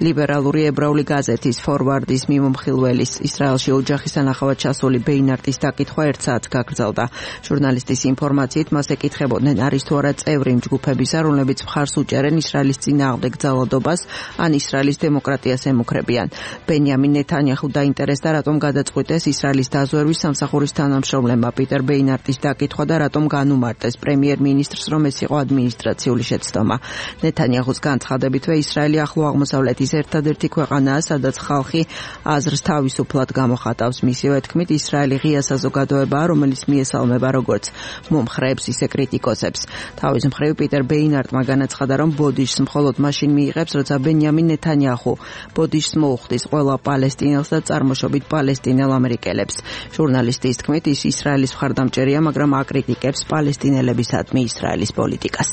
ლიბერალური ებრაული გაზეთის ფორვარდის მიმომხილველის ისრაელში ოჯახის თანახავად ჩასული ბეინარტის დაკითხვა 1 საათს გაგრძელდა. ჟურნალისტის ინფორმაციით მას ეკითხებოდნენ, არის თუ არა წევრი იმ ჯგუფებისა, რომლებიც მხარს უჭერენ ისრაელის წინააღმდეგ ძალადობას ან ისრაელის დემოკრატიას ემუქრებიან. ბენიამინ ნეთანიაჰუ დაინტერესდა, რატომ გადაწყვიტეს ისრაელის დაზვერვის სამსახურის თანამშრომლებმა პიტერ ბეინარტის დაკითხვა და რატომ განუმარტეს პრემიერ-მინისტრს, რომ ეს იყო ადმინისტრაციული შეცდომა. ნეთანიაჰუს განცხადებითვე ისრაელი ახლო აღმოსავლეთის ერთადერთი ქვეყანაა, სადაც ხალხი აზრს თავისუფლად გამოხატავს. მისივე თქმით, ისრაელი ღია საზოგადოებაა, რომელიც მიესალმება როგორც მომხრეებს, ისე კრიტიკოსებს. თავის მხრივ პიტერ ბეინარტმა განაცხადა, რომ ბოდიშს მხოლოდ მაშინ მიიღებს, როცა ბენიამინ ნეთანიაჰუ ბოდიშს მოუხდის ყველა პალესტინელს და წარმოშობით პალესტინელ ამერიკელებს. ჟურნალისტის თქმით, ის ისრაელის მხარდამჭერია, მაგრამ აკრიტიკებს პალესტინელებისადმი ისრაელის პოლიტიკას.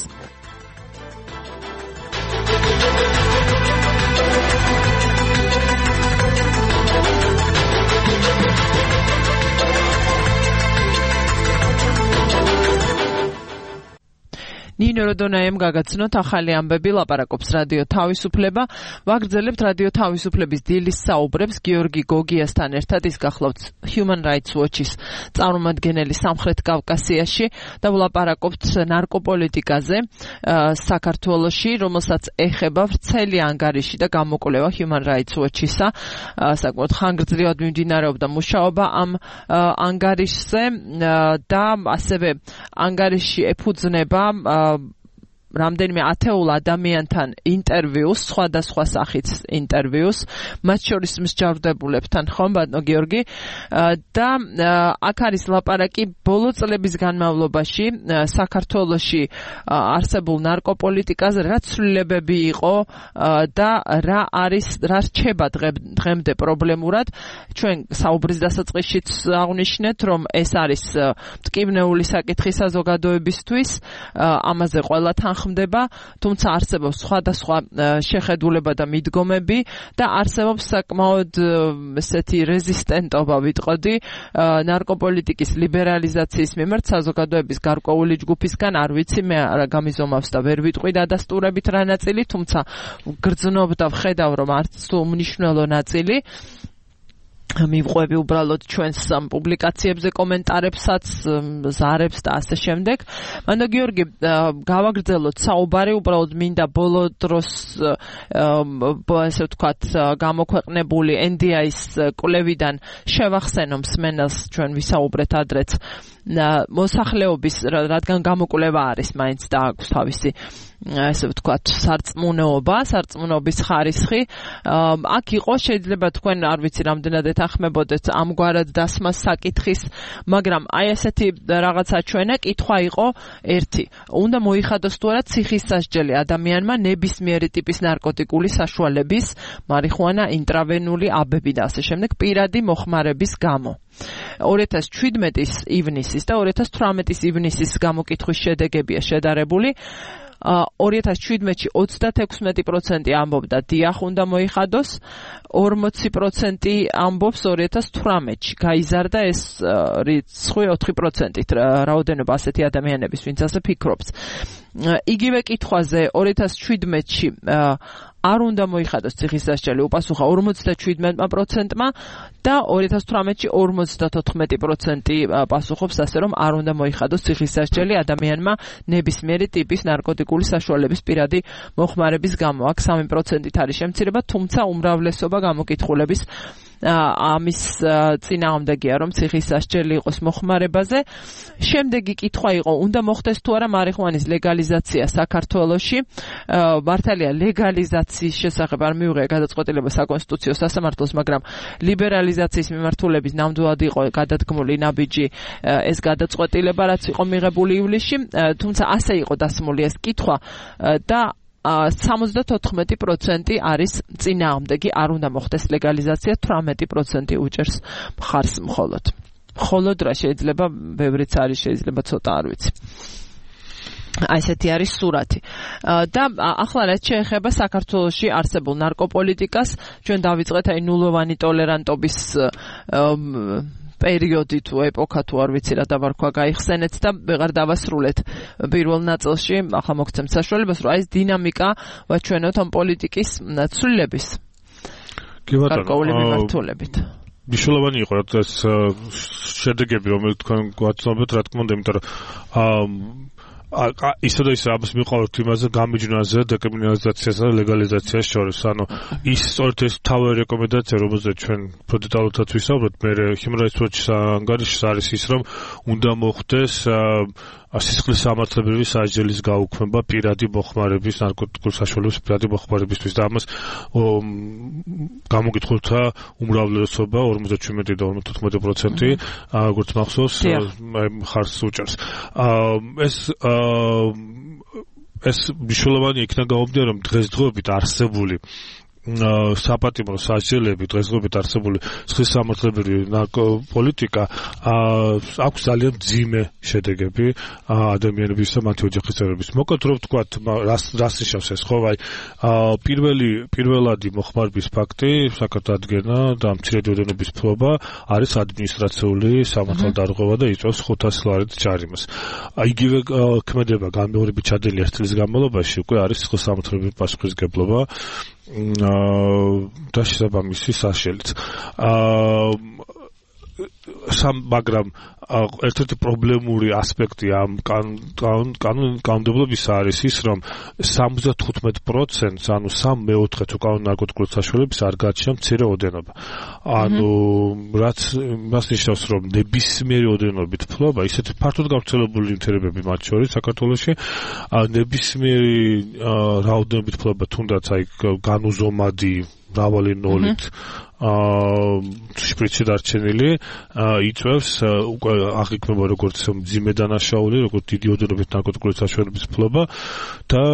ნინო როდონაემ გაგაცნოთ ახალი ამბები, ლაპარაკობს რადიო თავისუფლება. ვაგრძელებთ რადიო თავისუფლების დილის საუბრებს გიორგი გოგიასთან ერთად. ის გახლავთ Human Rights Watch-ის წარმომადგენელი სამხრეთ კავკასიაში და ვლაპარაკობთ ნარკოპოლიტიკაზე საქართველოში, რომელსაც ეხება ვრცელი ანგარიში და გამოკვლევა Human Rights Watch-ისა. საკმაოდ ხანგრძლივად მიმდინარეობდა მუშაობა ამ ანგარიშზე და ასევე ანგარიში ეფუძნება რამდენიმე ათეულ ადამიანთან ინტერვიუს, სხვადასხვა სახის ინტერვიუს, მათ შორის მსჯავრდებულებთან, ხომ ბატონო გიორგი? და აქ არის ლაპარაკი ბოლო წლების განმავლობაში საქართველოში არსებულ ნარკოპოლიტიკაზე, რა ცვლილებები იყო და რა რჩება დღემდე პრობლემურად. ჩვენ საუბრის დასაწყისშიც აღვნიშნეთ, რომ ეს არის მტკივნეული საკითხი საზოგადოებისთვის, ამაზე ყველა ხმდება, თუმცა არსებობს სხვადასხვა შეხედულება და მიდგომები და არსებობს საკმაოდ ესეთი რეზისტენტობა, ვიტყოდი, ნარკოპოლიტიკის ლიბერალიზაციის მიმართ საზოგადოების გარკვეული ჯგუფისგან. არ ვიცი, მე არა გამიზომავს და ვერ ვიტყვი დადასტურებით რა ნაწილი, თუმცა გრძნობ და ვხედავ, რომ არც თუ უმნიშვნელო ნაწილი მივყვები უბრალოდ ჩვენს პუბლიკაციებზე, კომენტარებსაც, ზარებს და ასე შემდეგ. მანდ გიორგი, გავაგრძელოთ საუბარი, უბრალოდ მინდა ბოლო დროს ესე ვთქვათ გამოქვეყნებული NDI-ის კვლევიდან შევახსენო მსმენელს, ჩვენ ვისაუბრეთ ადრეც მოსახლეობის, რადგან გამოკვლევა არის მაინც და აქვს თავისი ესე ვთქვათ სარწმუნოების ხარისხი. აქ იყო, შეიძლება თქვენ არ ვიცი რამდენად ეთანხმებოდეთ ამგვარად დასმას საკითხის, მაგრამ აი ესეთი რაღაცა ჩვენა კითხვა იყო ერთი. უნდა მოიხადოს თუ არა ციხისასჯელი ადამიანმა ნებისმიერი ტიპის ნარკოტიკული საშუალების, მარიხუანა, ინტრავენული აბები და ასე შემდეგ პირადი მოხმარების გამო. 2017 ივნისის და 2018 ივნისის გამოკითხვის შედეგებია შედარებული. 2017-ში 36% ამბობდა დიახ უნდა მოიხადოს, 40% ამბობს 2018-ში. გაიზარდა ეს რიცხვი 4%-ით, რაოდენობა ასეთი ადამიანების, ვინც ასე ფიქრობს. იგივე კითხვაზე 2017-ში არ უნდა მოიხადოს ციხის სასჯელი უპასუხა 57%-მა და 2018-ში 54% პასუხობს ასე რომ არ უნდა მოიხადოს ციხის სასჯელი ადამიანმა ნებისმიერი ტიპის ნარკოტიკული საშუალების პირადი მოხმარების გამო. აქ 3%-ით არის შემცირება, თუმცა უმრავლესობა გამოკითხულების ამის წინააღმდეგია რომ ციხის სასჯელი იყოს მოხმარებაზე. შემდეგი კითხვა იყო, უნდა მოხდეს თუ არა მარიხუანის ლეგალიზაცია საქართველოში. მართალია ლეგალიზაციის შესახებ არ მიუღია გადაწყვეტილება საკონსტიტუციო სასამართლოს, მაგრამ ლიბერალიზაციის მიმართულების ნამდვილად იყო გადადგმული ნაბიჯი ეს გადაწყვეტილება, რაც იყო მიღებული ივლისში, თუმცა ასე იყო დასმული ეს კითხვა და 74% არის წინააღმდეგი, არ უნდა მოხდეს ლეგალიზაცია, 18% უჭერს მხარს მხოლოდ. მხოლოდ რა შეიძლება, ბევრიც არის, შეიძლება ცოტა არ ვიცი. აი ესეთი არის სურათი. და ახლა რაც შეეხება საქართველოში არსებულ ნარკოპოლიტიკას, ჩვენ დავიწყეთ აი ნულოვანი ტოლერანტობის პერიოდი თუ ეპოქა თუ არ ვიცი რა დავარქვა გაიხსენეთ და ვეღარ დავასრულეთ პირველ ნაწილში, ახლა მოგცემთ საშუალებას, რომ აი ეს დინამიკა ვაჩვენოთ ამ პოლიტიკის ცვლილების. კი ბატონო, გარკვეული მიმართულებით. მნიშვნელოვანი იყო ეს შედეგები, რომელიც თქვენ გვაცნობთ, რა თქმა უნდა, იმიტომ რომ ისე და ისე ამას მიყავთ იმაზე გამიჯვნაზე დეკრიმინალიზაციასა და ლეგალიზაციას შორის. ანუ ის სწორედ ეს თავი რეკომენდაცია, რომელზეც ჩვენ პროდეტალურად ვისაუბრეთ, მე Human Rights Watch-ის ანგარიშს არის ის, რომ უნდა მოხდეს სისხლის სამართლებრივი სასჯელის გაუქმება პირადი მოხმარების, ნარკოტიკული საშუალების პირადი მოხმარებისთვის და ამას გამოკითხულთა უმრავლესობა 57 და 54% როგორც მახსოვს ხარს უჭერს. ეს მნიშვნელოვანი იქნა გამომდინარე, რომ დღესდღეობით არსებული საპატიმრო სასჯელები, დღესდღეობით არსებული სისხლის სამართლებრივი ნარკოპოლიტიკა აქვს ძალიან მძიმე შედეგები ადამიანების და მათი ოჯახის წევრების. მოკლედ რომ ვთქვათ, რას ნიშნავს ეს, ხო, აი პირველადი მოხმარების ფაქტი, საკათადგენა და მცირედი ოდენობის ფლობა არის ადმინისტრაციული სამართალდარღვევა და იწვევს 500 ლარით ჯარიმას. იგივე ქმედება განმეორებით ჩადენილი 1 წლის განმავლობაში უკვე არის სისხლის სამართლებრივი პასუხისმგებლობა და შესაბამისი სასჯელიც. მაგრამ ერთ-ერთი პრობლემური ასპექტი ამ კანონმდებლობისა არის ის, რომ 75%, ანუ 3/4 უკანონო ნარკოტიკული საშუალების არ გააჩნია მცირე ოდენობა. ანუ რაც მას ნიშნავს, რომ ნებისმიერი ოდენობით ფლობა, ისეთი ფართოდ გავრცელებული ნივთიერებები მათ შორის საქართველოში, ნებისმიერი რაოდენობით ფლობა, თუნდაც აი განუზომადი მრავალი ნოლით შპრიცი დარჩენილი იწვევს უკვე აღიქმება როგორც მძიმე დანაშაული, როგორც დიდი ოდენობით ნარკოტიკული საშუალების ფლობა და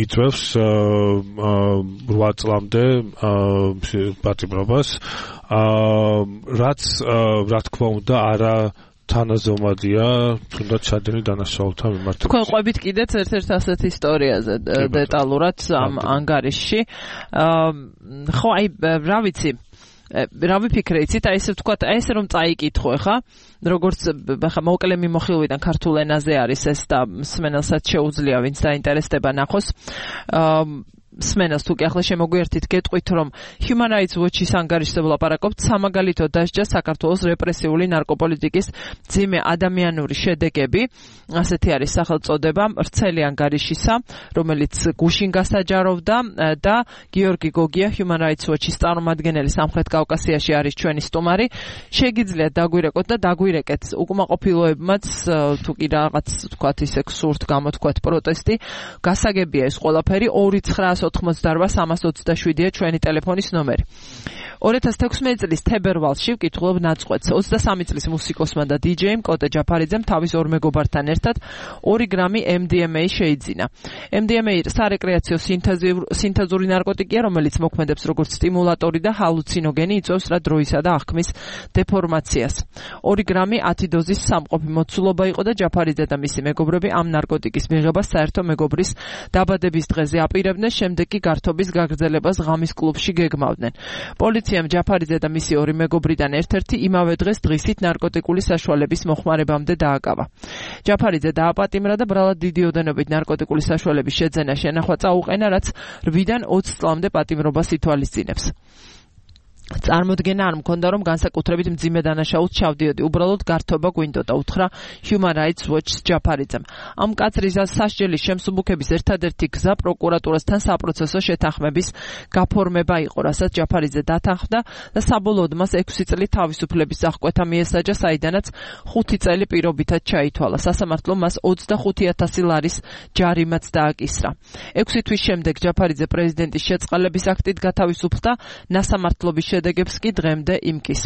იწვევს 8 წლამდე პატიმრობას, რაც რა თქმა უნდა არა თანაზომადია თუნდაც ჩადენილ დანაშაულთან მიმართებით. თქვენ ყვებით კიდეც ერთ-ერთ ასეთ ისტორიაზე დეტალურად ამ ანგარიშში. ხო, აი რა ვიცი, რა ვიფიქრე, იცით, აი ესე ვთქვათ, აი ესე რომ წაიკითხო ხა, როგორც ხა მოკლე მიმოხილვიდან ქართულ ენაზე არის ეს და მსმენელსაც შეუძლია ვინც დაინტერესდება ნახოს. სმენას თუ კი ახლა შემოგვიერთით გეტყვით, რომ Human Rights Watch-ის ანგარიშზე ვლაპარაკობთ, სამაგალითო დასჯა საქართველოს რეპრესიული ნარკოპოლიტიკის მძიმე ადამიანური შედეგები. ასეთი არის სახელწოდება ვრცელი ანგარიშისა, რომელიც გუშინ გასაჯაროვდა და გიორგი გოგია, Human Rights Watch-ის წარმომადგენელი სამხრეთ კავკასიაში არის ჩვენი სტუმარი. შეგიძლიათ დაგვირეკოთ და დაგვირეკეთ უკმაყოფილოებმაც, თუ კი რაღაც თქვათ ისე სურთ გამოთქვათ პროტესტი, გასაგებია ეს ყველაფერი 2988327-ია ჩვენი ტელეფონის ნომერი. 2016 წლის თებერვალში ვკითხულობ ნაწყვეტს. 23 წლის მუსიკოსმა და დიჯეიმ კოტე ჯაფარიძემ თავის ორ მეგობართან ერთად 2 გრამი MDMA შეიძინა. MDMA სარეკრეაციო სინთეზური ნარკოტიკია, რომელიც მოქმედებს როგორც სტიმულატორი და ჰალუცინოგენი, იწვევს რა დროისა და აღქმის დეფორმაციას. 2 გრამი 10 დოზის სამყოფი მოცულობა იყო და ჯაფარიძე და მისი მეგობრები ამ ნარკოტიკის მიღებას საერთო მეგობრის დაბადების დღეზე აპირებდნენ. შემდეგ კი გართობის გაგრძელებას ღამის კლუბში გეგმავდნენ. პოლიციამ ჯაფარიძე და მისი ორი მეგობრიდან ერთ-ერთი იმავე დღეს დღისით ნარკოტიკული საშუალების მოხმარებამდე დააკავა. ჯაფარიძე დააპატიმრა და ბრალად დიდი ოდენობით ნარკოტიკული საშუალების შეძენა შენახვა წაუყენა, რაც 8-დან 20 წლამდე პატიმრობას ითვალისწინებს. წარმოდგენა არ მქონდა, რომ განსაკუთრებით მძიმე დანაშაულს ჩავდიოდი, უბრალოდ გართობა გვინდოდა, უთხრა Human Rights Watch ჯაფარიძემ. ამ კაცრის სასჯელის შემსუბუქების ერთადერთი გზა პროკურატურასთან საპროცესო შეთანხმების გაფორმება იყო, რასაც ჯაფარიძე დათანხმდა და საბოლოოდ მას 6 წელი თავისუფლების აღკვეთა მიესაჯა, საიდანაც 5 წელი პირობითად ჩაითვალა. სასამართლომ მას 25,000 ლარის ჯარიმაც დააკისრა. 6 თვის შემდეგ ჯაფარიძე პრეზიდენტის შეწყალების აქტით გათავისუფლდა, ნასამართლობის შედეგებს კი დღემდე იმკის.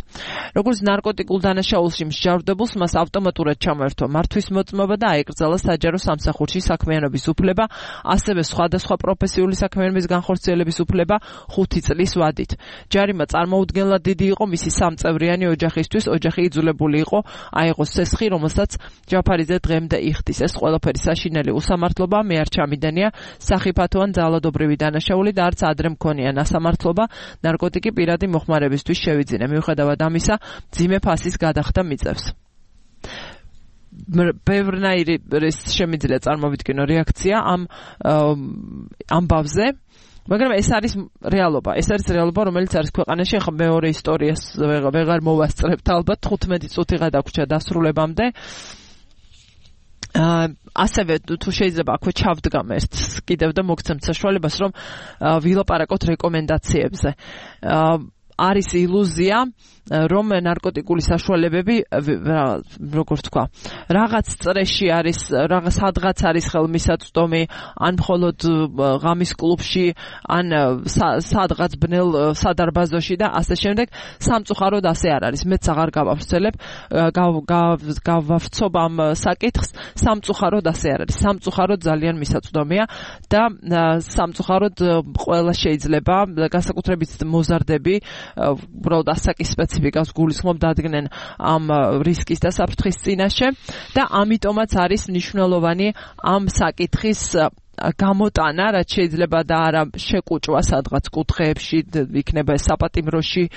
როგორც ნარკოტიკულ დანაშაულში მსჯავრდებულს მას ავტომატურად ჩამოერთვა მართვის მოწმობა და აეკრძალა საჯარო სამსახურში საქმიანობის უფლება, ასევე სხვადასხვა პროფესიული საქმიანობის განხორციელების უფლება 5 წლის ვადით. ჯარიმა წარმოუდგენლად დიდი იყო მისი 3 წევრიანი ოჯახისთვის, ოჯახი იძულებული იყო აეღოს სესხი, რომელსაც ჯაფარიძე დღემდე იხდის. ეს ყველაფერი საშინელი უსამართლობა, მე არ ჩამიდენია სახიფათო ან ძალადობრივი დანაშაული და არც ადრე მქონია ნასამართლობა ნარკოტიკი პირადი მოხმარებისთვის შევიძინე. მიუხედავად ამისა, მძიმე ფასის გადახდა მიწევს. ბევრნაირი შემიძლია წარმოვიდგინო რეაქცია ამ ამბავზე, მაგრამ ეს არის რეალობა. ეს არის რეალობა, რომელიც არის ქვეყანაში. ახლა მეორე ისტორიას ვეღარ მოვასწრებთ, ალბათ 15 წუთი გადაგვრჩა დასრულებამდე. ასევე თუ შეიძლება აქვე ჩავდგამ ერთს კიდევ და მოგცემთ საშუალებას, რომ ვილაპარაკოთ რეკომენდაციებზე. არის ილუზია, რომ ნარკოტიკული საშუალებები, როგორც თქვა, რაღაც წრეში არის, სადღაც არის ხელმისაწვდომი, ან მხოლოდ ღამის კლუბში, ან სადღაც ბნელ სადარბაზოში და ასე შემდეგ. სამწუხაროდ ასე არ არის. მეც აღარ გავავრცელებ, გავავრცობ ამ საკითხს. სამწუხაროდ ასე არ არის. სამწუხაროდ ძალიან მისაწვდომია და სამწუხაროდ ყველა შეიძლება, განსაკუთრებით მოზარდები, უბრალოდ ასაკის სპეციფიკას გულისხმობ დადგნენ ამ რისკის და საფრთხის წინაშე და ამიტომაც არის მნიშვნელოვანი ამ საკითხის გამოტანა, რაც შეიძლება და არა შეკუჭვა სადღაც კუთხეებში, იქნება საპატიმროში,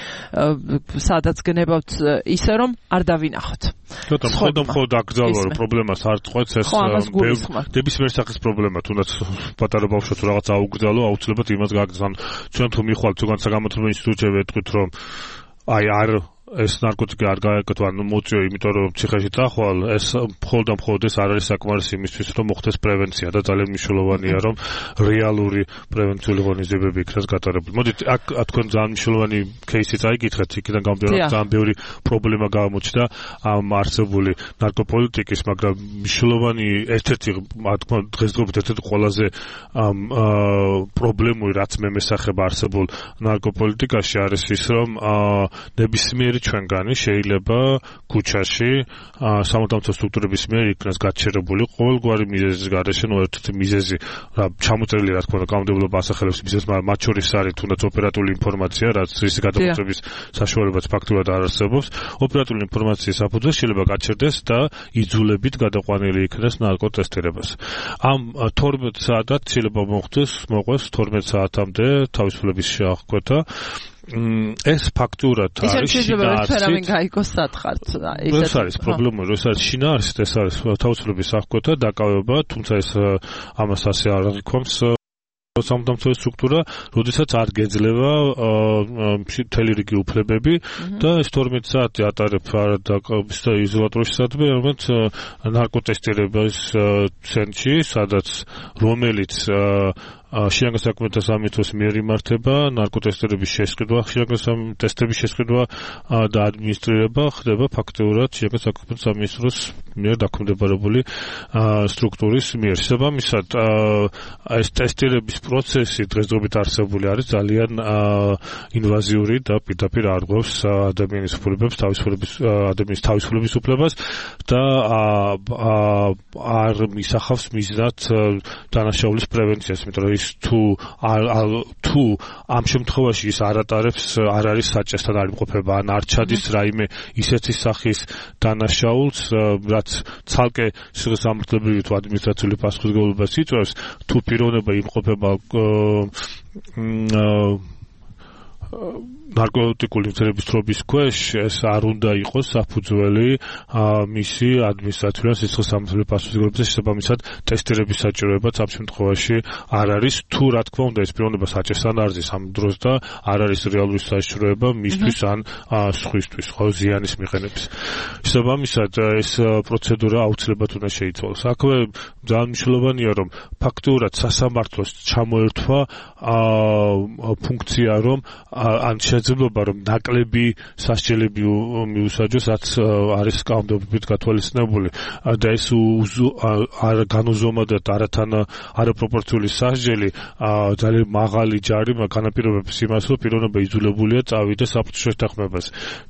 სადაც გნებავთ, ისე რომ არ დავინახოთ. მხოლოდ აკრძალვა, რომ პრობლემას არ წყვეტს, ეს ნებისმიერ სახის პრობლემა, თუნდაც პატარა ბავშვი თუ რაღაც აუგრძალო, აუცილებლად იმას გააგრძან. ჩვენ თუ მიხვალთ თუ განსაკუთრებულ ინსტიტუტში ვეთქვით, რომ არ ეს ნარკოტიკი არ გააკეთო, ანუ მოწიო, იმიტომ რომ ციხეში წახვალ, ეს მხოლოდ ეს არ არის საკმარისი იმისთვის, რომ მოხდეს პრევენცია და ძალიან მნიშვნელოვანია, რომ რეალური პრევენციული ღონისძიებები იქნას გატარებული. მოდით, აქ თქვენ ძალიან მნიშვნელოვანი кейსი წაიკითხეთ, იქიდან გამომდინარე, ძალიან ბევრი პრობლემა გამოჩნდა ამ არსებული ნარკოპოლიტიკის, მაგრამ მნიშვნელოვანი ერთ-ერთი, თქმა უნდა, დღესდღეობით ერთ-ერთი ყველაზე პრობლემური, რაც მე მესახება არსებულ ნარკოპოლიტიკაში არის ის, რომ ნებისმიერი ჩვენგანი შეიძლება ქუჩაში სამართალმცველ სტრუქტურების მიერ იქნას გაჩერებული ყოველგვარი მიზეზის გარეშე, ერთ-ერთი მიზეზი ჩამოწერილი, რა თქმა უნდა, კანონმდებლობა ასახელებს მიზეზს, მაგრამ მათ შორის არის თუნდაც ოპერატიული ინფორმაცია, რაც რის გადამოწმების საშუალებაც ფაქტურად არ არსებობს. ოპერატიული ინფორმაციის საფუძველზე შეიძლება გაჩერდეს და იძულებით გადაყვანილი იქნას ნარკოტესტირებას. ამ 12 საათად შეიძლება მოყვეს 12 საათამდე თავისუფლების აღკვეთა. ეს ფაქტურად არის შინაარსით. ეს არის პრობლემა, ეს არის შინაარსით, ეს არის თავისუფლების აღკვეთა, დაკავება, თუმცა ეს ამას ასე არ აღიქვამს სამართალმცველი სტრუქტურა, როდესაც არ გეძლევა მთელი რიგი უფლებები და ეს 12 საათი ატარებ იზოლატორში სადმე, რომელიც ნარკოტესტირების ცენტრში, რომელიც შინაგან საქმეთა სამინისტროს მიერ იმართება, ნარკოტესტირების შესყიდვა, შინაგან ტესტების შესყიდვა და ადმინისტრირება ხდება ფაქტიურად შინაგან საქმეთა სამინისტროს მიერ დაქვემდებარებული სტრუქტურის მიერ. შესაბამისად, ეს ტესტირების პროცესი დღესდღეობით არსებული არის ძალიან ინვაზიური და პირდაპირ არღვევს ადამიანის უფლებებს, ადამიანის თავისუფლების უფლებას და არ მისახავს მიზნად დანაშაულის პრევენციას, იმიტომ რომ ის თუ ამ შემთხვევაში ის არ არის საჭესთან არ იმყოფება ან არ ჩადის რაიმე ისეთი სახის დანაშაულს რაც ცალკე სამართლებრივი თუ ადმინისტრაციული პასუხისმგებლობას იწვევს თუ პიროვნება იმყოფება ნარკოტიკული მცირების ქვეშ ეს არ უნდა იყოს საფუძველი მისი ადმინისტრაციული სიცხის სამართლებრივი პასუხისმგებლობის შესაბამისად ტესტირების საჭიროებაც ამ შემთხვევაში არ არის თუ რა თქმა უნდა ეს პიროვნება საჭესთან არ ზის ამ დროს და არ არის რეალური საშიშროება მისთვის ან სხვისთვის ხო ზიანის მიღების შესაბამისად ეს პროცედურა აუცილებლად უნდა შეიცვალოს აქვე ძალიან მნიშვნელოვანია რომ ფაქტიურად სასამართლოს ჩამოერთვა ფუნქცია რომ ან შეიძლება რომ ნაკლები სასჯელები მიუსაჯოს რაც არის კანონმდებლობით გათვალისწინებული და ეს განუზომადად არაპროპორციული სასჯელი ძალიან მაღალი ჯარიმა განაპირობებს იმას რომ პიროვნება იძულებულია წავიდეს საფრთხის შეთანხმებას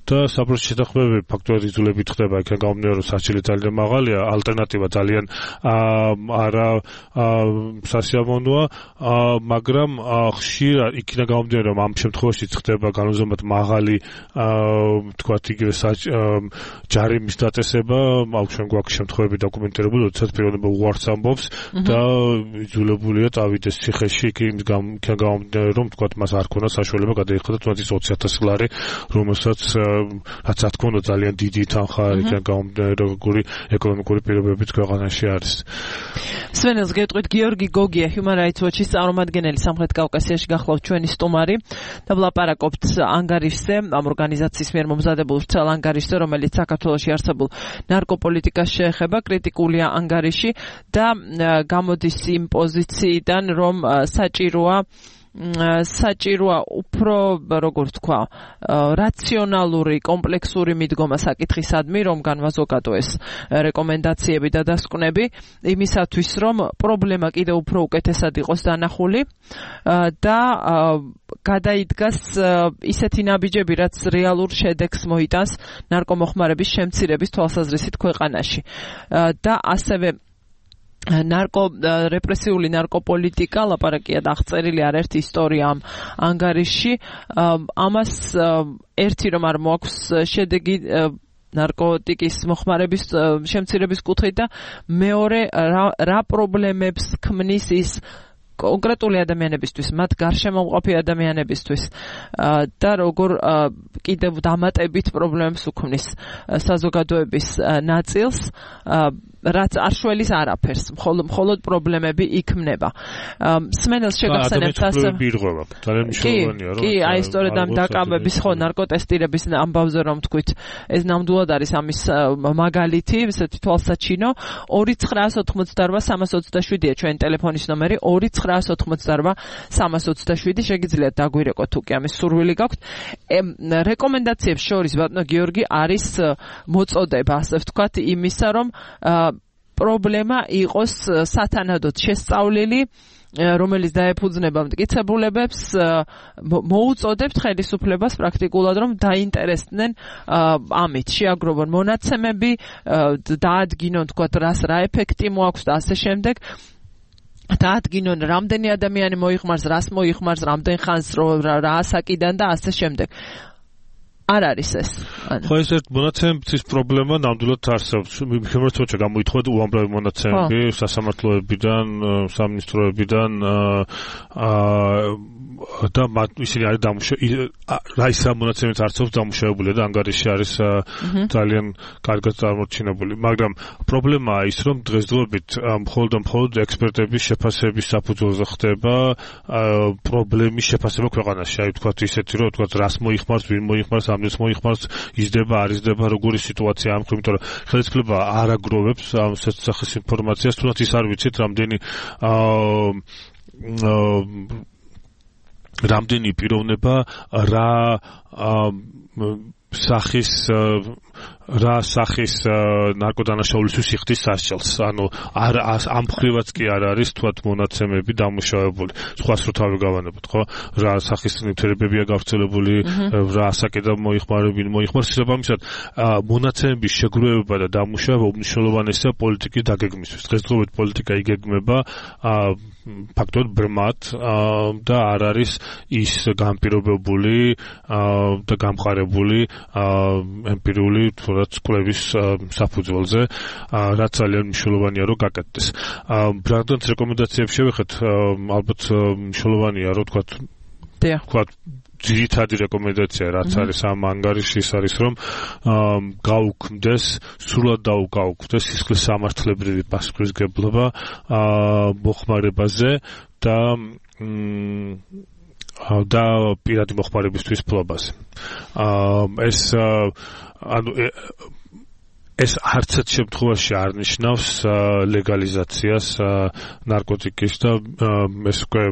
და საფრთხის შეთანხმებები ფაქტობრივად იძულებით ხდება იქიდან გამომდინარე რომ სასჯელი ძალიან მაღალია ალტერნატივა ძალიან არა სასიამოვნოა მაგრამ ხშირად იქიდან გამომდინარე რომ ამ შემთხვევაში ხდება განუზომად მაღალი თქვათ იგივე ჯარიმის დაწესება აუჩვენ გვაქვს შემთხვევები დოკუმენტირებული როდესაც პიროვნება უარს ამბობს და იძულებულია წავიდეს ციხეში იქიდან გამომდინარე რომ თქვათ მას არ ქონდა საშუალება გადაიხადა თუნდაც 20,000 ლარი რომელსაც რაც რა თქმა უნდა ძალიან დიდი თანხა იქიდან გამომდინარე როგორი ეკონომიკური პირობებიც ქვეყანაში არის სვენელს გეტყვით გიორგი გოგია Human Rights Watch-ის წარმომადგენელი სამხრეთ კავკასიაში გახლავთ ჩვენი სტუმარი და ვლაპარაკობთ ანგარიშზე ამ ორგანიზაციის მიერ მომზადებულ ვრცელ ანგარიშზე რომელიც საქართველოში არსებულ ნარკოპოლიტიკას შეეხება კრიტიკულია ანგარიში და გამოდის იმ პოზიციიდან რომ საჭიროა უფრო როგორ თქვა რაციონალური კომპლექსური მიდგომა საკითხისადმი რომ განვაზოგადო ეს რეკომენდაციები და დასკვნები იმისათვის რომ პრობლემა კიდევ უფრო უკეთესად იყოს დანახული და გადაიდგას ისეთი ნაბიჯები რაც რეალურ შედეგს მოიტანს ნარკომოხმარების შემცირების თვალსაზრისით ქვეყანაში და ასევე რეპრესიული ნარკოპოლიტიკა ლაპარაკია აღწერილი არაერთი ისტორია ამ ანგარიში ამას ერთი რომ არ მოაქვს შედეგი ნარკოტიკის მოხმარების შემცირების კუთხით და მეორე რა პრობლემებს ქმნის ის კონკრეტული ადამიანებისთვის, მათ გარშემო მყოფი ადამიანებისთვის და როგორ კიდევ დამატებით პრობლემებს უქმნის საზოგადოების ნაწილს, რაც არ შველის არაფერს, მხოლოდ პრობლემები იქმნება. სმენელს შეგახსენებთ ასე. ძალიან მნიშვნელოვანია, რომ კი, აი სწორედ ამ დაკავების ხო ნარკოტესტირების ამბავზე რომ თქვით, ეს ნამდვილად არის ამის მაგალითი, ესეთი თვალსაჩინო 2988-327-ია ჩვენი ტელეფონის ნომერი 2988-327 შეგიძლიათ დაგვირეკოთ თუ კი ამის სურვილი გაქვთ. რეკომენდაციებს შორის ბატონო გიორგი არის მოწოდება, ასე ვთქვათ, იმისა რომ პრობლემა იყოს სათანადოდ შესწავლილი რომელიც დაეფუძნება მტკიცებულებებს მოუწოდებთ ხელისუფლებას პრაქტიკულად რომ დაინტერესდნენ ამით შეაგროვონ მონაცემები დაადგინონ თქვათ რა ეფექტი მოაქვს და ასე შემდეგ დაადგინონ რამდენი ადამიანი მოიხმარს რას მოიხმარს რამდენ ხანს რა ასაკიდან და ასე შემდეგ არ არის ეს. ხო ეს მონაცემების პრობლემა ნამდვილად არსებობს. შემოწმოჩა გამოითხოვა უამრავი მონაცემები სასამართლოებიდან, სამინისტროებიდან და ისინი არის რა ის მონაცემებით არსებობს დამუშავებული და ანგარიში არის ძალიან კარგად წარმოჩინებული. მაგრამ პრობლემაა ის, რომ დღესდღეობით მხოლოდ ექსპერტების შეფასების საფუძველზე ხდება პრობლემის შეფასება ქვეყანაში. აი ვთქვათ ისეთი, რომ ვთქვათ რას მოიხმარს, ვინ მოიხმარს, ამდენს მოიხმარს, იზრდება, არ იზრდება, როგორი სიტუაცია ამ ხრივ, იმიტომ რომ ხელისუფლება არ აგროვებს ამ სახის ინფორმაციას, თუნდაც ის არ ვიცით, რამდენი პიროვნება რა სახის რა სახის ნარკოდანაშაულისთვის იხდის სასჯელს. ანუ ამ მხრივაც კი არ არის თქვათ მონაცემები დამუშავებული. სხვას რო თავი გავანებოთ, ხო? რა სახის ნივთიერებებია გავრცელებული, რა ასაკი და მოიხმარს შესაბამისად მონაცემების შეგროვება და დამუშავება უმნიშვნელოვანესია პოლიტიკის დაგეგმისთვის. დღესდღეობით პოლიტიკა იგეგმება ფაქტობრივად ბრმად და არ არის ის განპირობებული და გამყარებული ემპირიული თუნდაც კვლევის საფუძველზე, რაც ძალიან მნიშვნელოვანია რომ გაკეთდეს. ბრაგდონს რეკომენდაციებს შევეხეთ, ალბათ მნიშვნელოვანია რომ თქვათ ძირითადი რეკომენდაცია რაც არის ამ ანგარიში ის არის რომ გაუქმდეს სრულად გაუქმდეს სისხლის სამართლებრივი პასუხისმგებლობა მოხმარებაზე და პირადი მოხმარებისთვის ფლობაზე. ეს არცერთ შემთხვევაში არ ნიშნავს ლეგალიზაციას ნარკოტიკის და ეს უკვე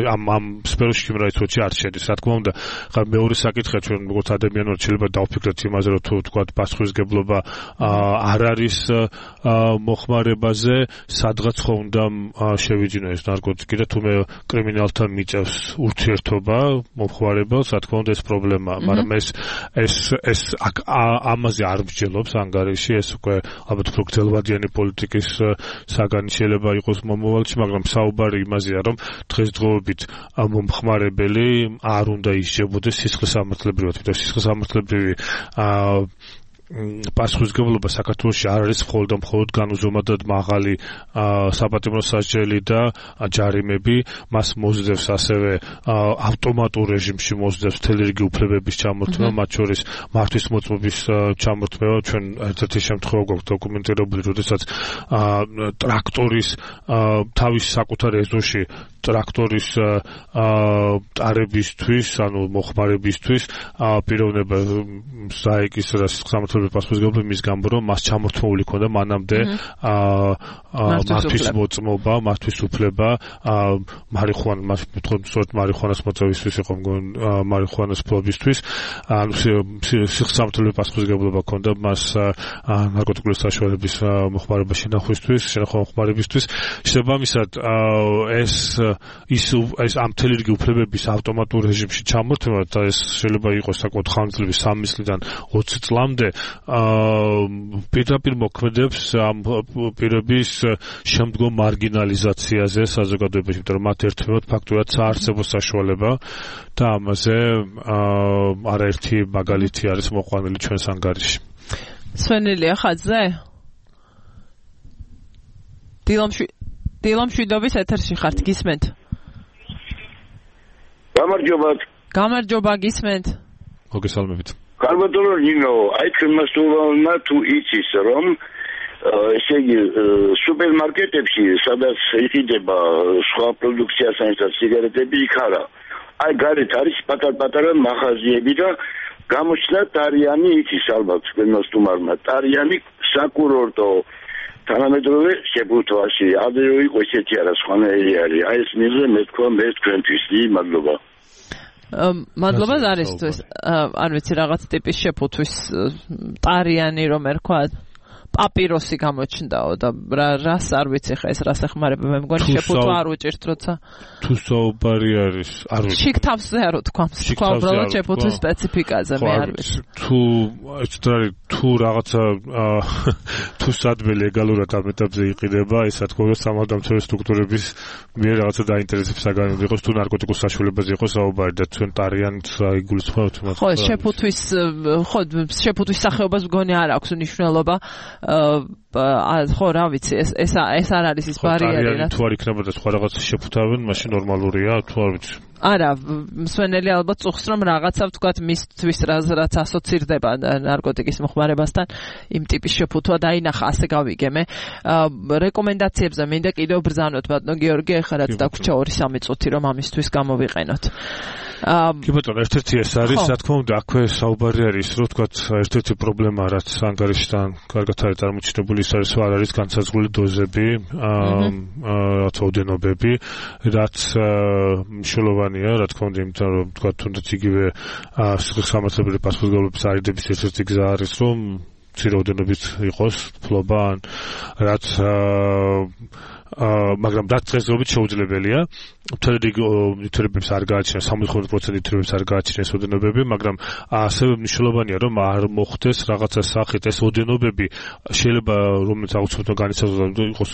ამ სფეროში შემრაიცოჩი არ შედის. რა თქმა უნდა, ხა მეორე საკითხია ჩვენ როგორც ადამიანურად შეიძლება დავფიქრეთ იმაზე, რომ თუ თქვათ პასუხისმგებლობა არ არის მოხმარებაზე, სადღაც ხო უნდა შევიჯინო ეს ნარკოტიკი და თუ მე კრიმინალთან მიწევს ურთიერთობა მომხმარებელს, რა თქმა უნდა ეს პრობლემაა, მაგრამ ეს ამაზე არ მსჯელობს ანგარიში, ეს უკვე ალბათ უფრო გრძელვადიანი პოლიტიკის საგანი შეიძლება იყოს მომავალში, მაგრამ საუბარი იმაზეა, რომ დღესდღეობით მომხმარებელი არ უნდა ისჯებოდეს სისხლის სამართლებრივად, და სისხლის სამართლებრივი პასუხისმგებლობა საქართველოში არ არის მხოლოდ განუზომადად მაღალი საპატიმრო სასჯელი და ჯარიმები, მას მოსდევს ასევე ავტომატურ რეჟიმში მოსდევს მთელი რიგი უფლებების ჩამორთმევა, მათ შორის მართვის მოწმობის ჩამორთმევა. ჩვენ ერთ-ერთი შემთხვევა გვაქვს დოკუმენტირებული, როდესაც ტრაქტორის თავის საკუთარ ეზოში ტრაქტორის ტარებისთვის, ანუ მოხმარებისთვის პიროვნება საიკის სამართლებრივი პასუხისმგებლობა მის გამო, რომ მას ჩამორთმეული ქონდა მანამდე მართვის მოწმობა, მართვის უფლება, მარიხუანას მოწევისთვის იყო მგონი, მარიხუანას ფლობისთვის, ანუ სამართლებრივი პასუხისმგებლობა ქონდა მას ნარკოტიკული საშუალების მოხმარება შენახვისთვის, მოხმარებისთვის. შესაბამისად, ეს ამ მთელი რიგი უფლებების ავტომატურ რეჟიმში ჩამორთმევა და ეს შეიძლება იყოს საკუთარ ხანგრძლივი 3 წლიდან 20 წლამდე პირდაპირ მოქმედებს ამ პირების შემდგომ მარგინალიზაციაზე საზოგადოებაში, იმიტომ რომ მათ ერთმანეთს ფაქტურად საარსებო საშუალება და ამაზე არაერთი მაგალითი არის მოყვანილი ჩვენს ანგარიში. სვენელია ხაძე? დილამშვიდობის ეთერში ხართ, გისმენთ? გამარჯობა, გისმენთ? მოგესალმებით. კარბატონო ნინო, აი ჩვენმა სტუმარმა თუ იცის რომ ესე იგი სუპერმარკეტებში სადაც იყიდება სხვა პროდუქციასთან ერთად სიგარეტები იქ არა. აი გარეთ არის პატარ-პატარა მაღაზიები და გამოჩნდა ტარიანი იცის ალბათ ჩვენმა სტუმარმა. ტარიანი საკურორტო თანამედროვე შეფუთვაში ადრე იყო ესეთი არა სხვანაირი არის. აი ეს მიზე მე თქვა მე თქვენთვის მადლობა. მადლობა ზარისთვის. არ ვიცი რაღაც ტიპის შეფუთვის ტარიანი რომ ერქვა პაპიროსი გამოჩნდაო და რას არ ვიცი ხა ეს რას ეხმარება მე მგონი შეფუთვა არ უჭირთ როცა თუ საუბარი არის არ ვიცი შიგ თავზე არ ვთქვამს თქვა უბრალოდ შეფუთვის სპეციფიკაზე მე არ ვიცი თუ რაღაცა თუ სადმე ლეგალურად ამ ეტაპზე იყიდება ეს რა თქმა უნდა სამართალდამცავი სტრუქტურების მიერ რაღაცა დაინტერესებს საგანები იყოს თუ ნარკოტიკულ საშუალებაზე იყოს საუბარი და ჩვენ ტარიანს აიგულისხმევთ ხო შეფუთვის სახეობას მგონი არ აქვს მნიშვნელობა ხო რა ვიცი ეს არ არის ის ბარიერი რა თუ არ იქნებოდა სხვა რაღაც შეფუთავენ მაშინ ნორმალურია თუ არ ვიცი არა მსვენელი ალბათ წუხს რომ რაღაცა ვთქვათ მისთვის რაც ასოცირდება ნარკოტიკის მოხმარებასთან იმ ტიპის შეფუთვა დაინახა ასე გავიგე მე რეკომენდაციებზე მინდა კიდევ ბრძანოთ ბატონო გიორგი ეხლა რაც დაგვრჩა 2-3 წუთი რომ ამისთვის გამოვიყენოთ კი ბატონო, ერთ-ერთი ეს არის, რა თქმა უნდა, აქვე საუბარი არის, რომ თქვა ერთ-ერთი პრობლემა, რაც ანგარიშთან კარგად არის წარმოჩინებული, ის არის, არ არის განსაზღვრული დოზები, რაც ოდენობები, რაც მნიშვნელოვანია, რა თქმა უნდა, იმიტომ რომ თქვა თუნდაც იგივე სამართლებრივი პასუხისმგებლობის არიდების ერთ-ერთი გზა არის, რომ მცირე ოდენობით იყოს ფლობა, რაც მაგრამ რაც დღესდღეობით შეუძლებელია. მთელი რიგი ნივთიერებებს არ გააჩნია, 75% ნივთიერებებს არ გააჩნია ეს ოდენობები, მაგრამ ასევე მნიშვნელოვანია, რომ არ მოხდეს რაღაცა სახით ეს ოდენობები შეიძლება რომელიც აუცილებლად განიცადოს იყოს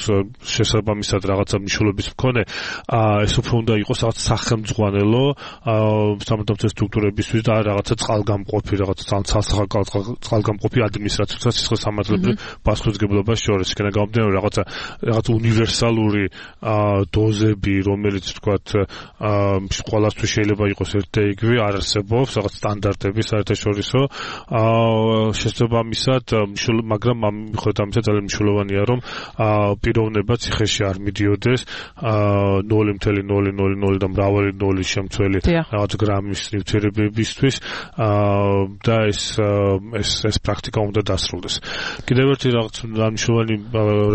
შესაბამისად რაღაცა მნიშვნელობის მქონე, ეს უფრო უნდა იყოს რაღაც სახელმძღვანელო სამართლებრივი სტრუქტურებისთვის და რაღაცა წყალგამყოფი, რაღაცა წყალგამყოფი ადმინისტრაციათა სისხლის სამართლებრივ პასუხისმგებლობას შორის. იქნება გამომდინარე რაღაცა უნივერსალური დოზები, რომელიც ვთქვათ, ყველასთვის შეიძლება იყოს ერთ და იგივე, არ არსებობს რაღაც სტანდარტები საერთაშორისო. შესაბამისად, მაგრამ მიუხედავად ამისა ძალიან მნიშვნელოვანია, რომ პიროვნება ციხეში არ მიდიოდეს 0.000 და მრავალი ნოლის შემცველი რაღაც გრამის ნივთიერებებისთვის და ეს პრაქტიკა უნდა დასრულდეს. კიდევ ერთი რაღაც მნიშვნელოვანი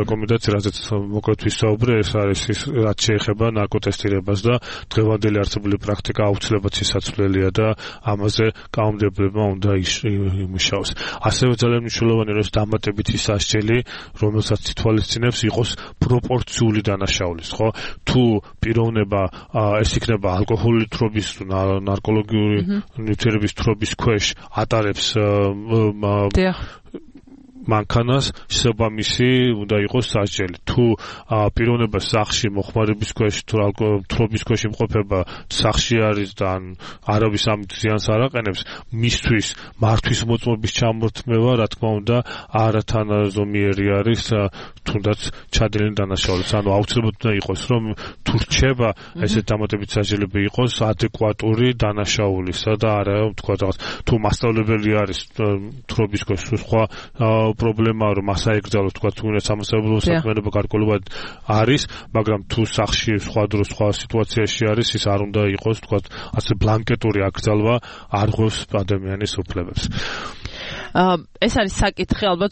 რეკომენდაცია, რაზეც მოკლედ ვისაუბრე, ეს არის ის, რაც შეეხება ნარკოტესტირებას და დღევანდელი არსებული პრაქტიკა აუცილებლად სიცოცხლელია და ამაზე კანონმდებლობა უნდა იმუშაოს. ასევე ძალიან მნიშვნელოვანია, რომ დამატებითი სასჯელი, რომელსაც ითვალისწინებს, იყოს პროპორციული დანაშაულის, ხო? თუ პიროვნება ეს იქნება ალკოჰოლური თრობის თუ ნარკოლოგიური ნივთიერების თრობის ქვეშ ატარებს მანქანას, შესაბამისი უნდა იყოს სასჯელი. თუ პიროვნება სახლში მოხმარების ქვეშ თუ თრობის ქვეშ იმყოფება, სახლში არის და არავის ამით ზიანს არ აყენებს, მისთვის მართვის მოწმობის ჩამორთმევა, რა თქმა უნდა, არათანაზომიერი არის, თუნდაც ჩადენილი დანაშაულიც. ანუ აუცილებლად უნდა იყოს, რომ თუ რჩება ესეთ დამატებით სასჯელები იყოს ადეკვატური დანაშაულისა და არა თქვა რაღაც თუ მასწავლებელი არის თრობის ქვეშ სხვა პრობლემაა, რომ მას აეკრძალოს თქვა თუნდაც სამსახურო საქმიანობა გარკვეულად არის, მაგრამ თუ სახლში სხვა დროს სხვა სიტუაციაში არის, ის არ უნდა იყოს თქვა ასე ბლანკეტური აკრძალვა არ ღვევს ადამიანის უფლებებს. ეს არის საკითხი ალბათ,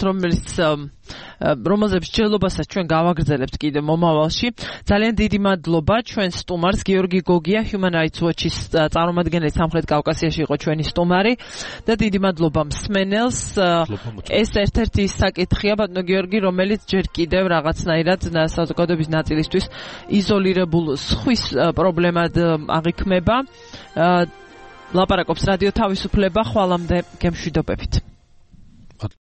რომელზეც ჯელობასაც ჩვენ გავაგრძელებთ კიდე მომავალში. ძალიან დიდი მადლობა ჩვენ სტუმარს გიორგი გოგია, Human Rights Watch-ის წარმომადგენელი სამხრეთ კავკასიაში იყო ჩვენი სტუმარი და დიდი მადლობა მსმენელს. ეს ერთ-ერთი საკითხია, ბატონო გიორგი, რომელიც ჯერ კიდევ რაღაცნაირად საზოგადოების ნაწილისთვის იზოლირებულ სხვის პრობლემად აღიქმება. ლაპარაკობს რადიო თავისუფლება, ხვალამდე გემშვიდობებით.